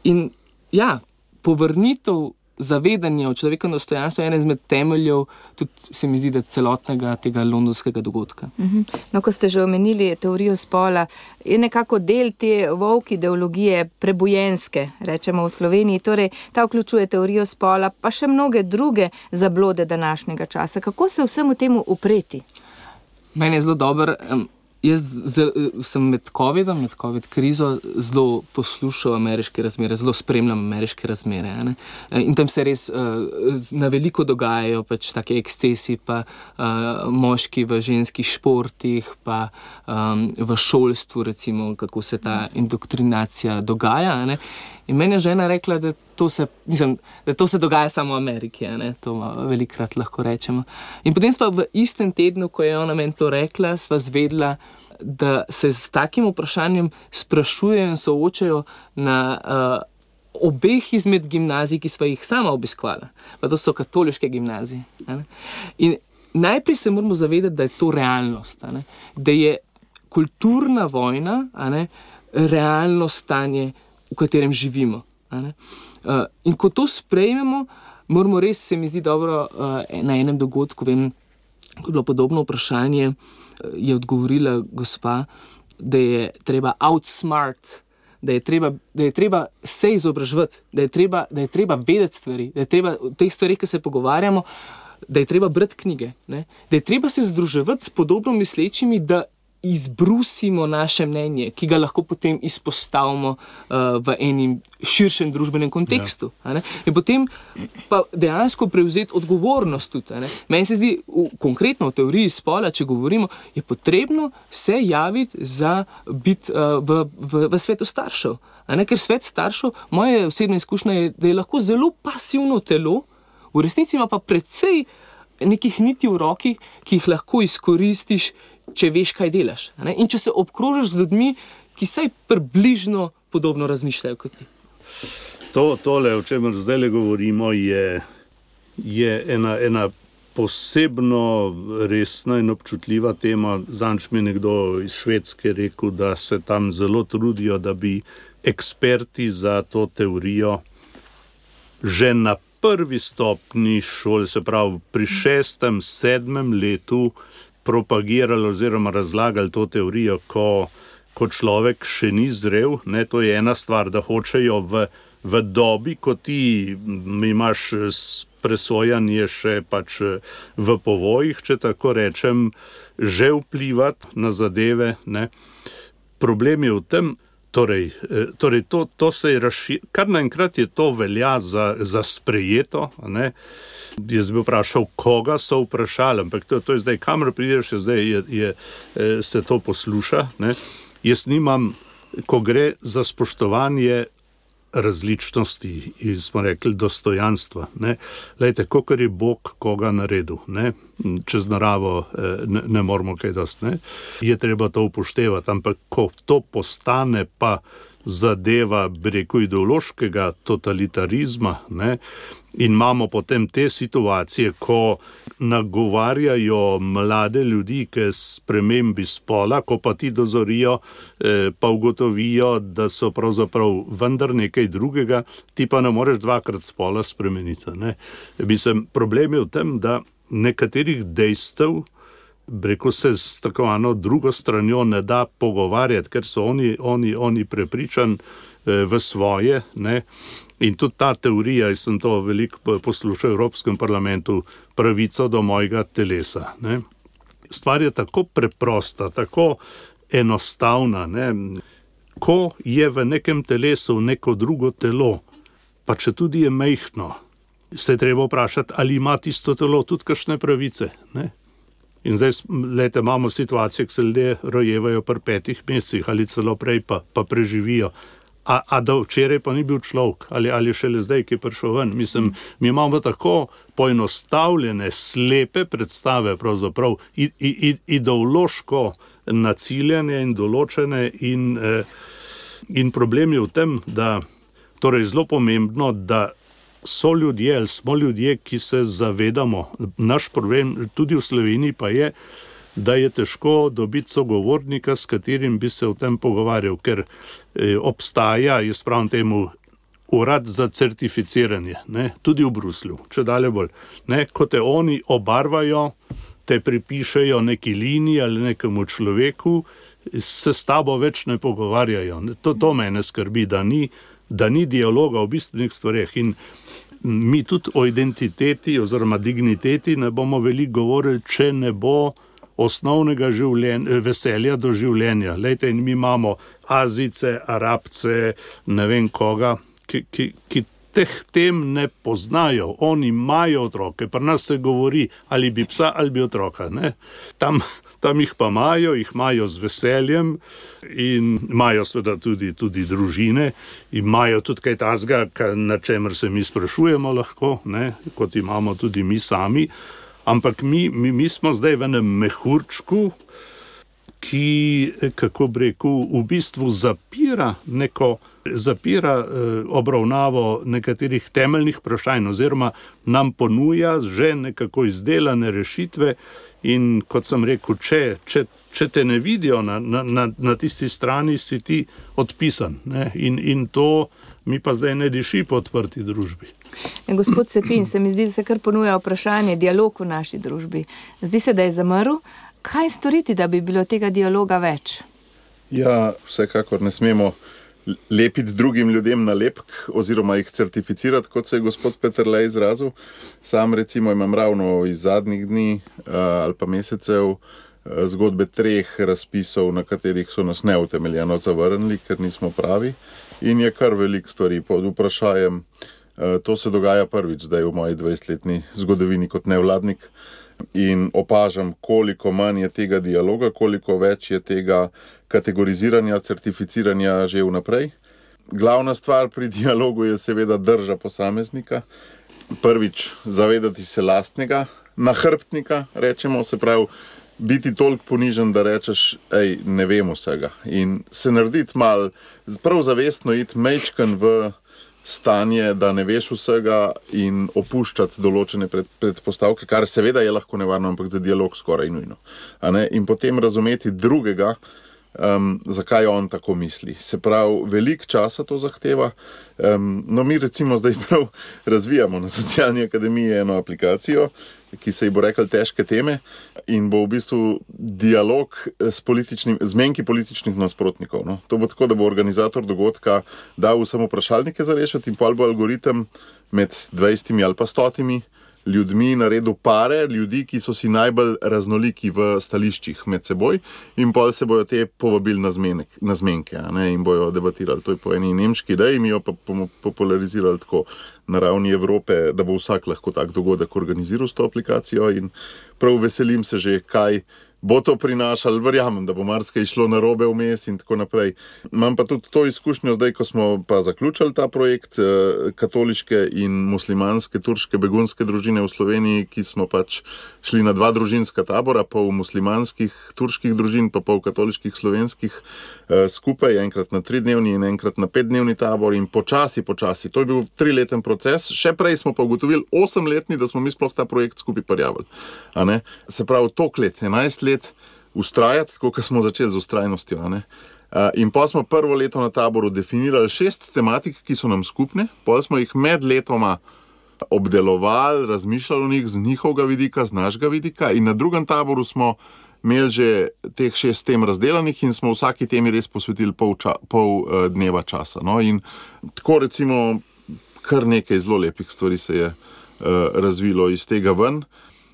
In ja, povrnitev zavedanja o človekovem dostojanstvu je ena izmed temeljev, tudi se mi zdi, da celotnega tega londonskega dogodka. Uh-huh. No, ko ste že omenili teorijo spola, je nekako del te woke ideologije prebojenske, rečemo v Sloveniji, torej ta vključuje teorijo spola, pa še mnoge druge zablode današnjega časa. Kako se vsemu temu upreti? Meni je zelo dober um, Jaz sem med covidom, med covid krizo zelo poslušal ameriške razmere, zelo spremljam ameriške razmere. Ne? In tam se res uh, na veliko dogajajo pač take ekscesi, pa uh, moški v ženskih športih, pa um, v šolstvu, recimo, kako se ta indoktrinacija dogaja. Ne? In meni je žena rekla, da to se, mislim, da to se dogaja samo v Ameriki, ne? To velikrat lahko rečemo. In potem sva v istem tednu, ko je ona meni to rekla, sva zvedla, da se s takim vprašanjem sprašujejo in soočajo na uh, obeh izmed gimnazij, ki sva jih sama obiskvala. Pa to so katoliške gimnazije. Ne? In najprej se moramo zavedati, da je to realnost, ne? Da je kulturna vojna, ne, realno stanje, v katerem živimo. Ne? Uh, in ko to sprejmemo, moramo res, se mi zdi dobro, uh, na enem dogodku, vem, ko je bilo podobno vprašanje, uh, je odgovorila gospa, da je treba outsmart, da je treba, da je treba se izobraževati, da je treba, da je treba vedeti stvari, da je treba v teh stvarih, ki se pogovarjamo, da je treba brati knjige, ne? Da je treba se združevati s podobno mislečimi, da izbrusimo naše mnenje, ki ga lahko potem izpostavimo uh, v enem širšem družbenem kontekstu. Ja. In potem pa dejansko prevzeti odgovornost tudi. Meni se zdi, v, konkretno v teoriji spola, če govorimo, je potrebno se javiti za biti uh, v, v, v svetu staršev. Ker svet staršev, moja osebna izkušnja je, da je lahko zelo pasivno telo, v resnici ima pa precej nekih niti v roki, ki jih lahko izkoristiš, če veš, kaj delaš. Ne? In če se obkrožiš z ljudmi, ki saj približno podobno razmišljajo kot ti. To, tole, o čemer zdaj govorimo, je, je ena, ena posebno resna in občutljiva tema. Zanč mi nekdo iz Švedske rekel, da se tam zelo trudijo, da bi eksperti za to teorijo že na prvi stopni šole, se pravi pri šestem, sedmem letu, propagirali oziroma razlagali to teorijo, ko, ko človek še ni zrel. Ne, to je ena stvar, da hočejo v, v dobi, ko ti imaš presojanje še pač v povojih, če tako rečem, že vplivati na zadeve. Ne. Problem je v tem, torej, torej to, to se je razširilo, kar naenkrat je to velja za, za sprejeto, ne. Jaz bi vprašal, koga so vprašali, ampak to, to je zdaj, kamor prideš, zdaj je, je, se to posluša. Ne? Jaz nimam, ko gre za spoštovanje različnosti, smo rekli dostojanstva. Ne? Lejte, kakor je Bog koga naredil, ne? Čez naravo ne, ne moramo kaj dosti, ne? Je treba to upoštevati, ampak ko to postane pa zadeva, bi rekel, ideološkega totalitarizma, ne? In imamo potem te situacije, ko nagovarjajo mlade ljudi k spremembi spola, ko pa ti dozorijo, eh, pa ugotovijo, da so pravzaprav vendar nekaj drugega, ti pa ne moreš dvakrat spola spremeniti. Ne? Mislim, problem je v tem, da nekaterih dejstev, rekel se, s tako eno drugo stranjo ne da pogovarjati, ker so oni, oni, oni prepričani eh, v svoje, ne? In tudi ta teorija, jaz sem to veliko poslušal v Evropskem parlamentu, pravico do mojega telesa. Ne? Stvar je tako preprosta, tako enostavna. Ne? Ko je v nekem telesu neko drugo telo, pa če tudi je majhno, se je treba vprašati, ali ima tisto telo tudi kakšne pravice. Ne? In zdaj, lejte, imamo situacijo, ki se ljudje rojevajo pri petih mesecih ali celo prej pa, pa preživijo. A, a da včeraj pa ni bil človek, ali, ali šele zdaj, ki je prišel ven. Mislim, mi imamo tako poenostavljene, slepe predstave, pravzaprav i, i, ideološko naciljene in določene in, eh, in problem je v tem, da torej zelo pomembno, da so ljudje, ali smo ljudje, ki se zavedamo. Naš problem tudi v Sloveniji pa je, da je težko dobiti sogovornika, s katerim bi se o tem pogovarjal, ker eh, obstaja, jaz pravim temu, urad za certificiranje, ne, tudi v Bruslju, če dalje bolj. Ne, ko te oni obarvajo, te pripišejo neki liniji ali nekemu človeku, se s tabo več ne pogovarjajo. To, to mene skrbi, da ni, da ni dialoga o bistvenih stvareh. In mi tudi o identiteti oziroma digniteti ne bomo veliko govorili, če ne bo osnovnega življenja, veselja do življenja. Lejte, in mi imamo Azijce, Arabce, ne vem koga, ki, ki, ki teh tem ne poznajo. Oni imajo otroke, pri nas se govori, ali bi psa, ali bi otroka. Ne? Tam, tam jih pa imajo, jih imajo z veseljem in imajo seveda tudi, tudi družine, imajo tudi kaj tazga, na čemer se mi sprašujemo lahko, ne? Kot imamo tudi mi sami. Ampak mi, mi, mi smo zdaj v enem mehurčku, ki, kako bi rekel, v bistvu zapira neko, zapira eh, obravnavo nekaterih temeljnih vprašanj oziroma nam ponuja že nekako izdelane rešitve in kot sem rekel, če, če, če te ne vidijo na, na, na, na tisti strani, si ti odpisan. Ne? In, in to mi pa zdaj ne diši po odprti družbi. Gospod Cepin, se mi zdi, da se kar ponuja vprašanje dialog v naši družbi. Zdi se, da je zamrl. Kaj storiti, da bi bilo tega dialoga več? Ja, vsekakor ne smemo lepiti drugim ljudem na lepk oziroma jih certificirati, kot se je gospod Peterle izrazil. Sam recimo imam ravno iz zadnjih dni ali pa mesecev zgodbe treh razpisov, na katerih so nas neutemeljeno zavrnili, ker nismo pravi. In je kar veliko stvari pod vprašajem. To se dogaja prvič zdaj v moji dvajsetletni zgodovini kot nevladnik. In opažam, koliko manj je tega dialoga, koliko več je tega kategoriziranja, certificiranja že vnaprej. Glavna stvar pri dialogu je seveda drža posameznika. Prvič, zavedati se lastnega nahrbtnika, rečemo, se pravi, biti toliko ponižen, da rečeš, ej, ne vem vsega. In se narediti mal, prav zavestno iti mejčken v stanje, da ne veš vsega in opuščati določene pred, predpostavke, kar seveda je lahko nevarno, ampak za dialog skoraj nujno. A ne? In potem razumeti drugega, um, zakaj on tako misli. Se pravi, veliko časa to zahteva. Um, no, mi recimo zdaj prav razvijamo na Socialni akademiji eno aplikacijo, ki se ji bo rekel težke teme in bo v bistvu dialog s političnim, zmenki političnih nasprotnikov. No. To bo tako, da bo organizator dogodka dal samo vprašalnike za rešiti in pol bo algoritem med dvajsetimi ali pa stotimi ljudmi naredil pare ljudi, ki so si najbolj raznoliki v stališčih med seboj in pol se bojo te povabili na, zmenek, na zmenke a ne, in bojo debatirali. To je po eni nemški ideji, mi jo pa bomo popularizirali tako na ravni Evrope, da bo vsak lahko tak dogodek organiziral s to aplikacijo in prav veselim se že, kaj bo to prinašalo, verjamem, da bo marsikaj šlo narobe vmes in tako naprej. Imam pa tudi to izkušnjo zdaj, ko smo pa zaključili ta projekt katoliške in muslimanske turške begunske družine v Sloveniji, ki smo pač šli na dva družinska tabora, pol muslimanskih turških družin, pa pol katoliških slovenskih skupaj, enkrat na tridnevni in enkrat na petdnevni tabor in počasi, počasi. To je bil trileten proces, še prej smo pa ugotovili osemletni, da smo mi sploh ta projekt skupaj prijavili. A ne? Se pravi, tok let, enajst let ustrajati, tako kot smo začeli z ustrajnostjo. A ne? In pa smo prvo leto na taboru definirali šest tematik, ki so nam skupne, pol smo jih med letoma obdelovali, razmišljali o njih z njihovega vidika, z našega vidika in na drugem taboru smo imeli že teh šest tem razdelanih in smo vsaki temi res posvetili pol, ča, pol uh, dneva časa. No? In tako recimo kar nekaj zelo lepih stvari se je uh, razvilo iz tega ven.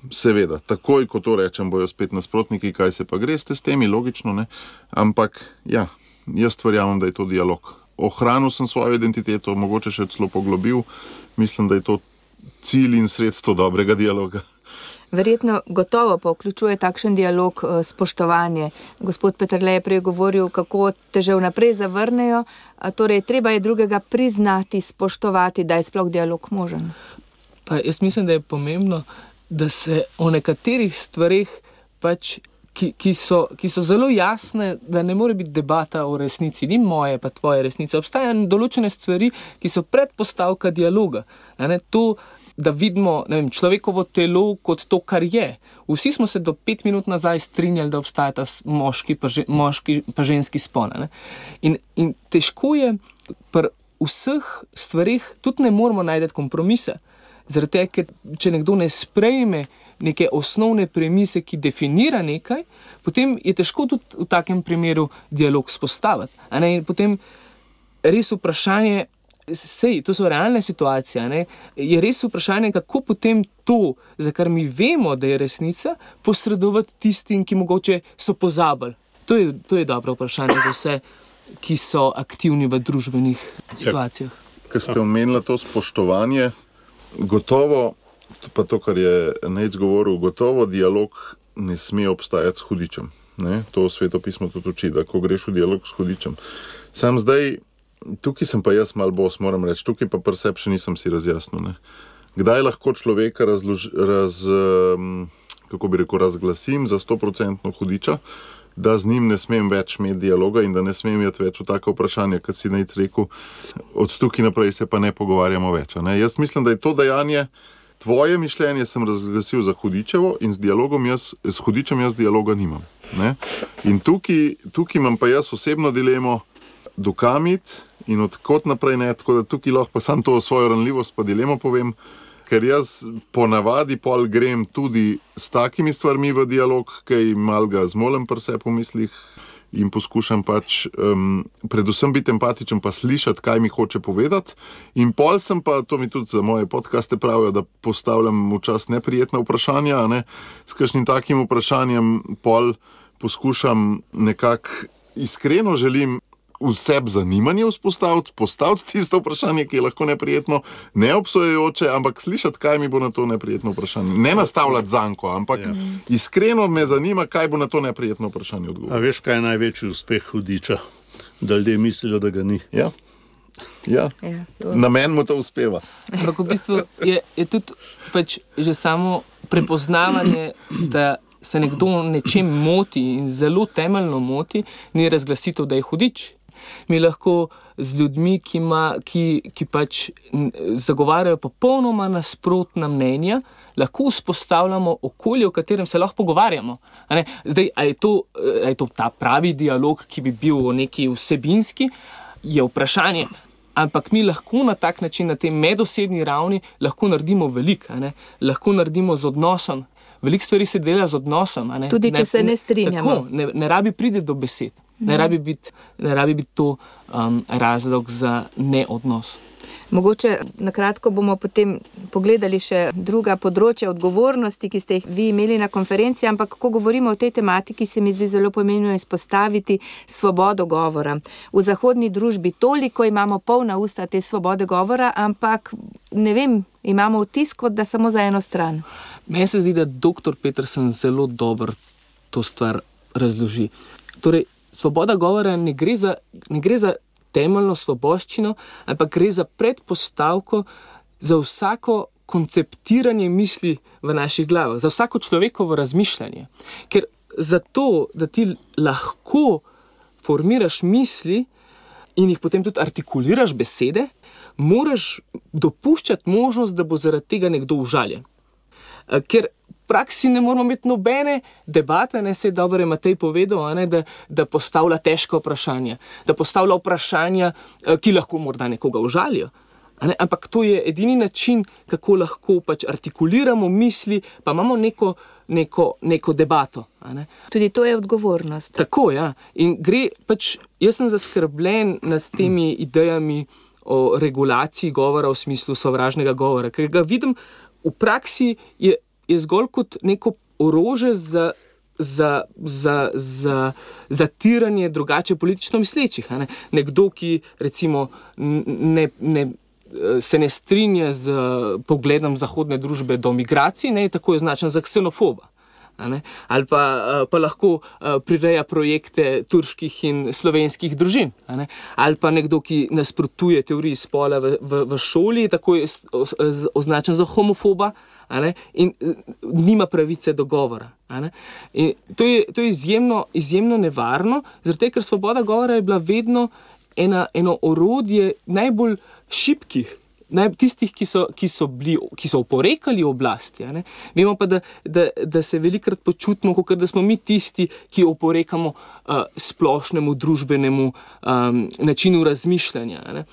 Seveda, takoj, ko to rečem, bojo spet nasprotniki, kaj se pa greste s temi, logično, ne? Ampak ja, jaz verjamem, da je to dialog. Ohranil sem svojo identiteto, mogoče še celo poglobil, mislim, da je to cilj in sredstvo dobrega dialoga. Verjetno gotovo pa vključuje takšen dialog spoštovanje. Gospod Peterle je prej govoril, kako te že vnaprej zavrnejo, torej treba je drugega priznati, spoštovati, da je sploh dialog možen. Pa jaz mislim, da je pomembno, da se o nekaterih stvarih, pač, ki, ki, so, ki so zelo jasne, da ne more biti debata o resnici, ni moje pa tvoje resnice. Obstajajo določene stvari, ki so predpostavka dialoga. Ne, to, da vidimo, ne vem, človekovo telo kot to, kar je. Vsi smo se do pet minut nazaj strinjali, da obstajata moški pa, že, moški pa ženski spol. In, in težko je pri vseh stvarih, tudi ne moramo najti kompromise. Zaradi tega, ker če nekdo ne sprejme neke osnovne premise, ki definira nekaj, potem je težko tudi v takem primeru dialog spostaviti. A ne? In potem res vprašanje, Sej, to so realne situacije. Ne? Je res vprašanje, kako potem to, za kar mi vemo, da je resnica, posredovati tistim, ki mogoče so pozabili. To je, to je dobro vprašanje za vse, ki so aktivni v družbenih situacijah. Ker ste omenili to spoštovanje, gotovo, pa to, kar je Nejc govoril, gotovo dialog ne sme obstajati s hudičem. Ne? To svetopismo tudi uči, da ko greš v dialog s hudičem. Sam zdaj, tukaj sem pa jaz malo bos, moram reči, tukaj pa pri sebi še nisem si razjasnil. Ne? Kdaj lahko človeka razlož, raz, kako bi rekel, razglasim za sto procentno hudiča, da z njim ne smem več imeti dialoga in da ne smem imeti več v take vprašanja, kot si Nejc rekel, od tukaj naprej se pa ne pogovarjamo več. Ne? Jaz mislim, da je to dejanje, tvoje mišljenje sem razglasil za hudičevo in z, dialogom jaz, s hudičem jaz dialoga nimam. Ne? In tukaj, tukaj imam pa jaz osebno dilemo, dokamit in odkot naprej ne, tako da tukaj lahko pa sam to svojo ranljivost pa dilemo povem, ker jaz ponavadi pol grem tudi s takimi stvarmi v dialog, kaj mal ga zmolem pri sebi v mislih in poskušam pač um, predvsem biti empatičen pa slišati, kaj mi hoče povedati. In pol sem pa, to mi tudi za moje podcaste pravijo, da postavljam včasih neprijetna vprašanja, ne? S kakšnim takim vprašanjem pol poskušam nekako iskreno želim v sebi zanimanje vzpostaviti, postaviti tisto vprašanje, ki je lahko neprijetno, ne obsojajoče, ampak slišati, kaj mi bo na to neprijetno vprašanje. Ne nastavljati zanko, ampak ja. Iskreno me zanima, kaj bo na to neprijetno vprašanje odgovoril. A veš, kaj je največji uspeh hudiča? Da ljudje mislijo, da ga ni. Ja. Ja. Ja, na meni mu to uspeva. Ampak v bistvu je, je tudi pač že samo prepoznavanje, da se nekdo nečem moti in zelo temeljno moti, ni razglasitev, da je hudič. Mi lahko z ljudmi, ki, ima, ki, ki pač zagovarjajo popolnoma nasprotna mnenja, lahko vzpostavljamo okolje, v katerem se lahko pogovarjamo. A ne? Zdaj, a je to, a je to ta pravi dialog, ki bi bil neki vsebinski, je vprašanje. Ampak mi lahko na tak način, na tej medosebni ravni, lahko naredimo veliko. Lahko naredimo z odnosom. Veliko stvari se dela z odnosom. A ne? Tudi, če ne, se ne strinjamo. Tako, ne, ne rabi priti do besed. Ne rabi biti, ne rabi biti to um, razlog za neodnos. Mogoče nakratko bomo potem pogledali še druga področja odgovornosti, ki ste jih vi imeli na konferenci, ampak ko govorimo o tej tematiki, se mi zdi zelo pomembno izpostaviti svobodo govora. V zahodni družbi toliko imamo polna usta te svobode govora, ampak ne vem, imamo vtis, kot da samo za eno stran. Meni se zdi, da doktor Peterson zelo dobro to stvar razloži. Torej, svoboda govora ne gre za, ne gre za temeljno svoboščino, ampak gre za predpostavko za vsako konceptiranje misli v naših glavah, za vsako človekovo razmišljanje. Ker zato, da ti lahko formiraš misli in jih potem tudi artikuliraš besede, moraš dopuščati možnost, da bo zaradi tega nekdo užaljen. Ker v praksi ne moramo imeti nobene debate, ne, se je dobro je Matej povedal, a ne, da, da postavlja težka vprašanja, da postavlja vprašanja, ki lahko morda nekoga užalijo. A ne, ampak to je edini način, kako lahko pač artikuliramo misli, pa imamo neko, neko, neko debato. A ne. Tudi to je odgovornost. Tako, ja. In gre pač, jaz sem zaskrbljen nad temi idejami o regulaciji govora v smislu sovražnega govora, ker ga vidim v praksi je, je zgolj kot neko orožje za, za, za, za zatiranje drugače politično mislečih. A ne? Nekdo, ki recimo ne, ne, se ne strinja z pogledom zahodne družbe do migracij, ne, je tako označen za ksenofoba. Ali pa, pa lahko prireja projekte turških in slovenskih družin. Ali pa nekdo, ki nasprotuje teoriji spola v, v, v šoli, tako je označen za homofoba in nima pravice do govora. In to je, to je izjemno, izjemno nevarno, zato ker svoboda govora je bila vedno ena, eno orodje najbolj šibkih, Naj, tistih, ki so, ki so, bili, ki so oporekali oblasti. Ne? Vemo pa, da, da, da se velikrat počutimo, kot da smo mi tisti, ki oporekamo uh, splošnemu družbenemu um, načinu razmišljanja. Ne?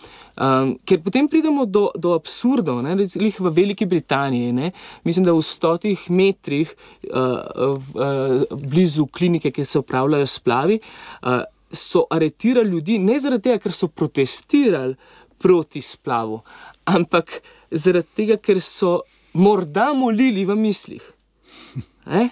Um, ker potem pridemo do, do absurdov, ne? Recimo v Veliki Britaniji, ne? Mislim, da v stotih metrih uh, uh, blizu klinike, kjer se opravljajo splavi, uh, so aretirali ljudi ne zaradi tega, ker so protestirali proti splavu, ampak zaradi tega, ker so morda molili v mislih. Eh?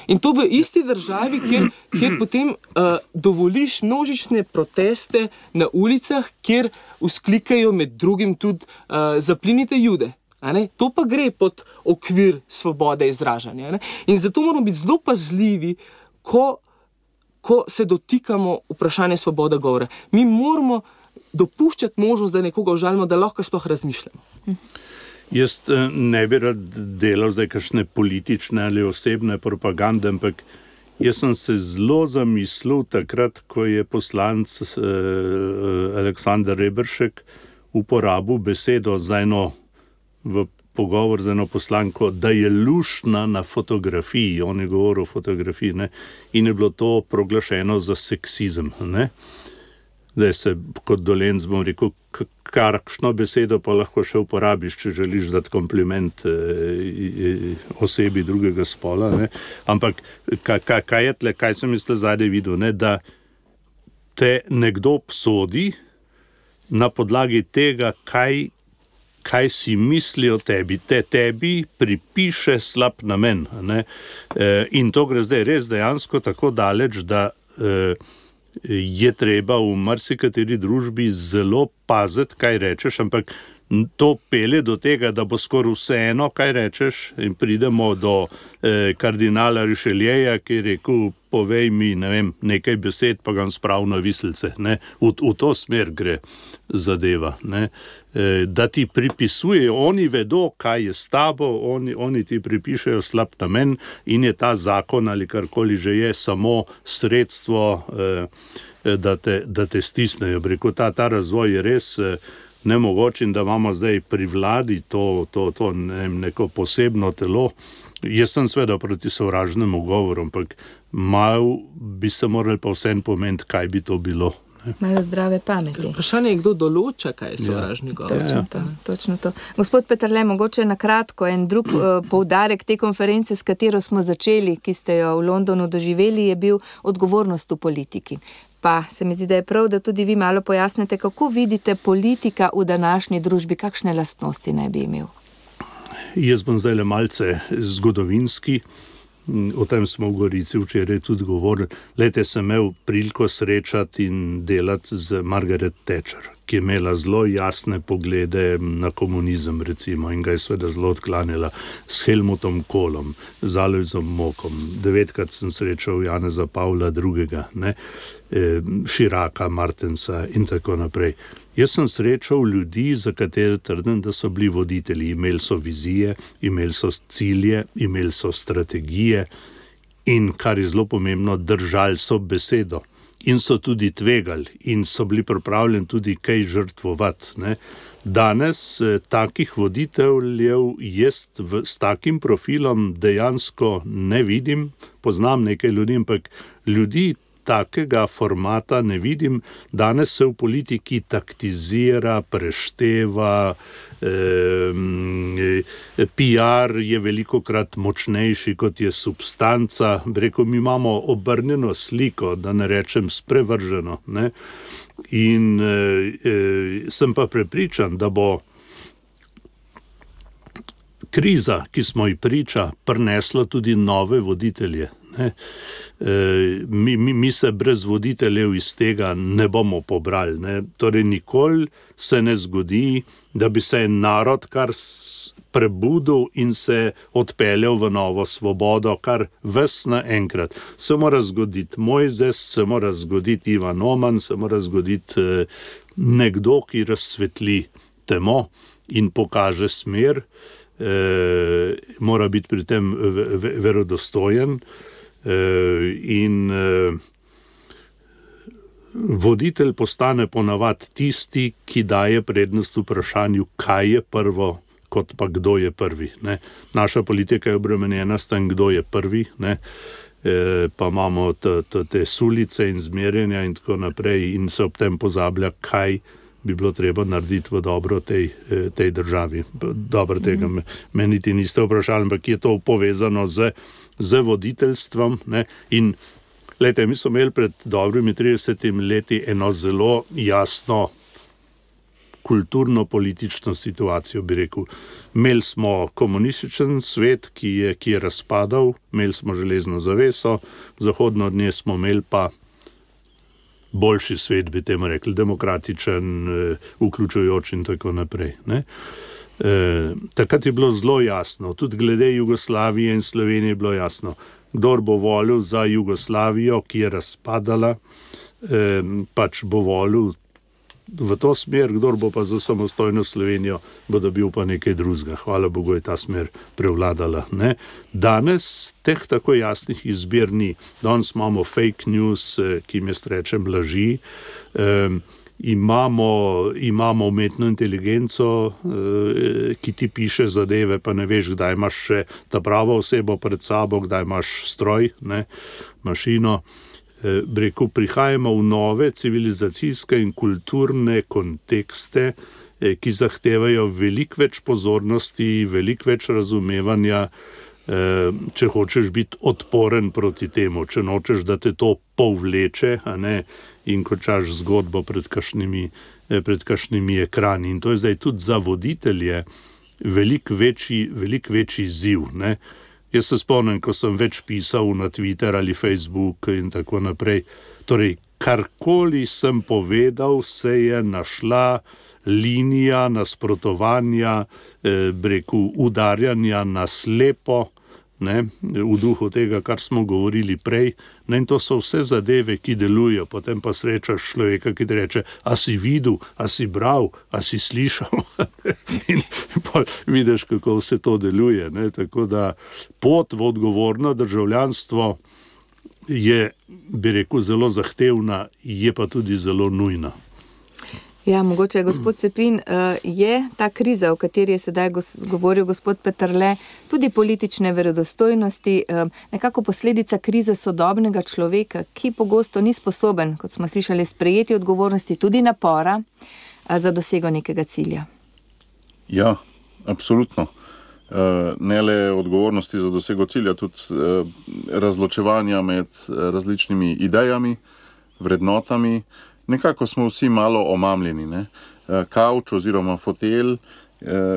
In to v isti državi, kjer, kjer potem uh, dovoliš množične proteste na ulicah, kjer vzklikajo med drugim tudi uh, zaplinite Jude. A ne? To pa gre pod okvir svobode izražanja. Ne? In zato moramo biti zelo pazljivi, ko, ko se dotikamo vprašanja svobode govora. Mi moramo dopuščati možnost, da nekoga užalimo, da lahko sploh razmišljamo. Jaz ne bi rad delal zdaj kakšne politične ali osebne propagande, ampak jaz sem se zelo zamislil takrat, ko je poslanec eh, Aleksander Reberšek uporabil besedo za eno v pogovor z eno poslanko, da je luštna na fotografiji, on je govoril o fotografiji, ne? In je bilo to proglašeno za seksizem. Ne? Zdaj se kot Dolenc bom rekel, kakšno besedo pa lahko še uporabiš, če želiš dati kompliment eh, osebi drugega spola. Ne? Ampak kaj, kaj, kaj je tle, kaj sem jaz tle zadaj videl, ne? Da te nekdo obsodi na podlagi tega, kaj, kaj si misli o tebi. Te tebi pripiše slab namen. Ne? E, in to gre zdaj res dejansko tako daleč, da e, je treba v marsikateri družbi zelo paziti, kaj rečeš, ampak to pelje do tega, da bo skoraj vseeno, kaj rečeš, in pridemo do eh, kardinala Richelieja, ki je rekel, povej mi, ne vem, nekaj besed, pa ga sprav na viselce. Ne? V, v to smer gre zadeva. Ne? E, da ti pripisujejo, oni vedo, kaj je s tabo, oni, oni ti pripišejo slab namen in je ta zakon ali karkoli že je samo sredstvo, eh, da, te, da te stisnejo. Rekel, ta, ta razvoj je res eh, nemogoč in da imamo zdaj pri vladi to, to, to ne, neko posebno telo. Jaz sem seveda proti sovražnemu govoru, ampak malo bi se morali pa vsem pomeniti, kaj bi to bilo. Ne? Malo zdrave pameti. Vprašanje je, kdo določa, kaj je sovražni ja. govor. Točno to, točno to. Gospod Peterle, mogoče na kratko en drug uh, poudarek te konference, s katero smo začeli, ki ste jo v Londonu doživeli, je bil odgovornost v politiki. Pa se mi zdi, da je prav, da tudi vi malo pojasnite, kako vidite politika v današnji družbi, kakšne lastnosti naj bi imel. Jaz bom zdaj le malce zgodovinski, o tem smo v Gorici včeraj tudi govorili. Lete, sem imel priliko srečati in delati z Margaret Thatcher, ki je imela zelo jasne poglede na komunizem, recimo, in ga je seveda zelo odklanjala s Helmutom Kohlom, z Alojzom Mokom. Devetkrat sem srečal Janeza Pavla drugega, ne, Širaka, Martensa in tako naprej. Jaz sem srečal ljudi, za katere trdim, da so bili voditelji. Imeli so vizije, imeli so cilje, imeli so strategije in, kar je zelo pomembno, držali so besedo. In so tudi tvegali in so bili pripravljeni tudi kaj žrtvovati. Ne. Danes eh, takih voditeljev jaz v, s takim profilom dejansko ne vidim. Poznam nekaj ljudi, ampak ljudi takega formata ne vidim. Danes se v politiki taktizira, prešteva, eh, P R je velikokrat močnejši, kot je substanca. Rekel, mi imamo obrnjeno sliko, da ne rečem sprevrženo. Ne? In eh, sem pa prepričan, da bo kriza, ki smo ji priča, prinesla tudi nove voditelje. Ne? E, mi, mi, mi se brez voditeljev iz tega ne bomo pobrali. Ne? Torej, nikoli se ne zgodi, da bi se narod kar prebudil in se odpeljal v novo svobodo, kar ves naenkrat. Se mora zgoditi Mojzes, se mora zgoditi Ivan Oman, se mora zgoditi eh, nekdo, ki razsvetli temo in pokaže smer, eh, mora biti pri tem verodostojen. Uh, in uh, voditelj postane ponavadi tisti, ki daje prednost vprašanju, kaj je prvo, kot pa kdo je prvi. Ne? Naša politika je obremenjena s tem, kdo je prvi, ne? E, pa imamo t, t, te sulice in zmerjenja in tako naprej in se ob tem pozablja, kaj bi bilo treba narediti v dobro tej, tej državi. Dobro, tega me, me niti niste vprašali, ampak je to povezano z z voditeljstvom. Ne? In lejte, mi smo imeli pred dobrimi tridesetimi leti eno zelo jasno kulturno-politično situacijo, bi rekel. Imeli smo komunističen svet, ki je, ki je razpadal, imeli smo železno zaveso, zahodno od nje smo imeli pa boljši svet, bi temu rekli, demokratičen, vključujoč in tako naprej. Ne? E, takrat je bilo zelo jasno, tudi glede Jugoslavije in Slovenije je bilo jasno, kdor bo volil za Jugoslavijo, ki je razpadala, e, pač bo volil v to smer, kdor bo pa za samostojno Slovenijo, bo dobil pa nekaj drugega. Hvala Bogu je ta smer prevladala. Ne? Danes teh tako jasnih izbir ni. Danes imamo fake news, ki jim jaz rečem laži, e, imamo, imamo umetno inteligenco, e, ki ti piše zadeve, pa ne veš, kdaj imaš še ta pravo osebo pred sabo, kdaj imaš stroj, ne, mašino. Rekel, prihajamo v nove civilizacijske in kulturne kontekste, ki zahtevajo veliko več pozornosti, veliko več razumevanja, če hočeš biti odporen proti temu, če nočeš, da te to povleče, a ne, in končaš zgodbo pred kakšnimi, pred kakšnimi ekrani. In to je zdaj tudi za voditelje veliko večji, veliko večji izziv, ne. Jaz se spomnim, ko sem več pisal na Twitter ali Facebook in tako naprej. Torej, karkoli sem povedal, se je našla linija nasprotovanja, eh, breku udarjanja na slepo, ne, v duhu tega, kar smo govorili prej. Ne, in to so vse zadeve, ki delujejo. Potem pa srečaš človeka, ki ti reče, a si videl, a si bral, a si slišal. In pa vidiš, kako vse to deluje. Ne. Tako da pot v odgovorno državljanstvo je, bi rekel, zelo zahtevna, je pa tudi zelo nujna. Ja, mogoče, gospod Cepin, je ta kriza, o kateri je sedaj govoril gospod Peterle, tudi politične verodostojnosti, nekako posledica krize sodobnega človeka, ki pogosto ni sposoben, kot smo slišali, sprejeti odgovornosti, tudi napora za dosego nekega cilja. Ja, absolutno. Ne le odgovornosti za dosego cilja, tudi razločevanja med različnimi idejami, vrednotami. Nekako smo vsi malo omamljeni. Ne? Kavč oziroma fotelj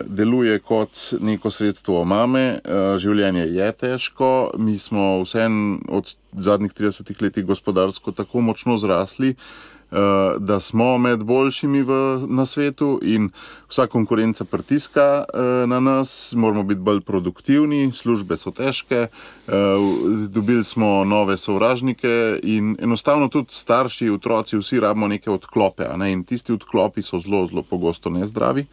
deluje kot neko sredstvo omame, življenje je težko, mi smo vseeno od zadnjih tridesetih letih gospodarsko tako močno zrasli, da smo med boljšimi v, na svetu in vsa konkurenca pritiska na nas, moramo biti bolj produktivni, službe so težke, dobili smo nove sovražnike in enostavno tudi starši, otroci, vsi rabimo neke odklope, a ne? In tisti odklopi so zelo, zelo pogosto nezdravi,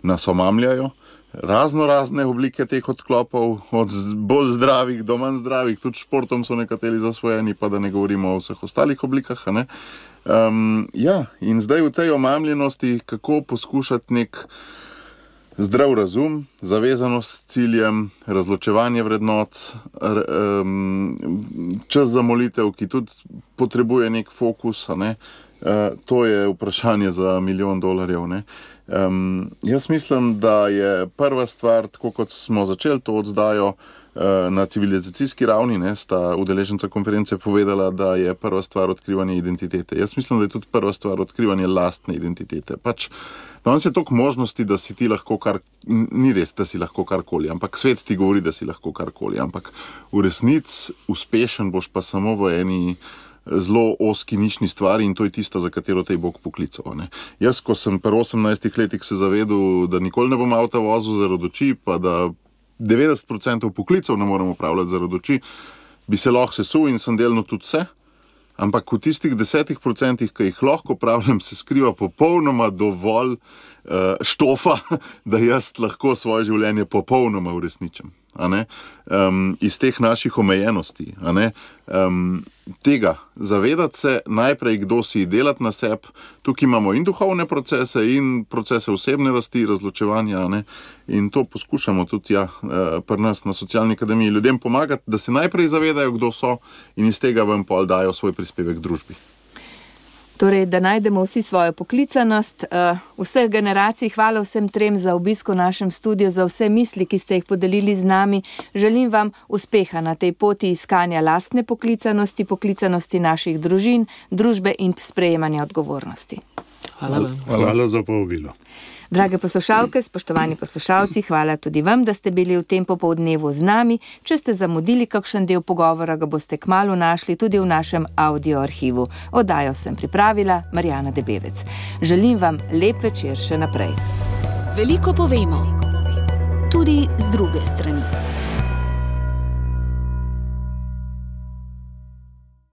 nas omamljajo. Razno razne oblike teh odklopov, od bolj zdravih do manj zdravih, tudi športom so nekateri zasvojeni, pa da ne govorimo o vseh ostalih oblikah, a ne? Um, ja, in zdaj v tej omamljenosti, kako poskušati nek zdrav razum, zavezanost ciljem, razločevanje vrednot, um, čas za molitev, ki tudi potrebuje nek fokus, a ne? Uh, to je vprašanje za milijon dolarjev, ne? Um, jaz mislim, da je prva stvar, tako kot smo začeli to oddajo, na civilizacijski ravni, ne, sta udeleženca konference povedala, da je prva stvar odkrivanje identitete. Jaz mislim, da je tudi prva stvar odkrivanje lastne identitete. Pač, danes je toliko možnosti, da si ti lahko kar, ni res, da si lahko karkoli, ampak svet ti govori, da si lahko karkoli, ampak v resnici uspešen boš pa samo v eni zelo oski nišni stvari in to je tista, za katero te je Bog poklical. Ne. Jaz, ko sem pri osemnajstih letih se zavedel, da nikoli ne bom avta vozil zaradi oči, pa da devetdeset procentov poklicev ne moremo upravljati zaradi oči, bi se lahko sesul in sem delno tudi vse, ampak v tistih desetih procentih, ki jih lahko upravljam, se skriva popolnoma dovolj uh, štofa, da jaz lahko svoje življenje popolnoma uresničim. A ne? Um, iz teh naših omejenosti. A ne? Um, tega, zavedati se najprej, kdo si, delati na sebi. Tukaj imamo in duhovne procese, in procese osebne rasti, razločevanja. A ne? In to poskušamo tudi ja, pri nas na Socialni akademiji ljudem pomagati, da se najprej zavedajo, kdo so in iz tega vam pol dajo svoj prispevek družbi. Torej, da najdemo vsi svojo poklicanost, vseh generacij. Hvala vsem trem za obisk v našem studiu, za vse misli, ki ste jih podelili z nami. Želim vam uspeha na tej poti iskanja lastne poklicanosti, poklicanosti naših družin, družbe in sprejemanja odgovornosti. Hvala vam. Hvala za povabilo. Drage poslušalke, spoštovani poslušalci, hvala tudi vam, da ste bili v tem popoldnevu z nami. Če ste zamudili kakšen del pogovora, ga boste kmalu našli tudi v našem audio arhivu. Oddajo sem pripravila Marjana Debevec. Želim vam lep večer še naprej. Veliko povemo, tudi z druge strani.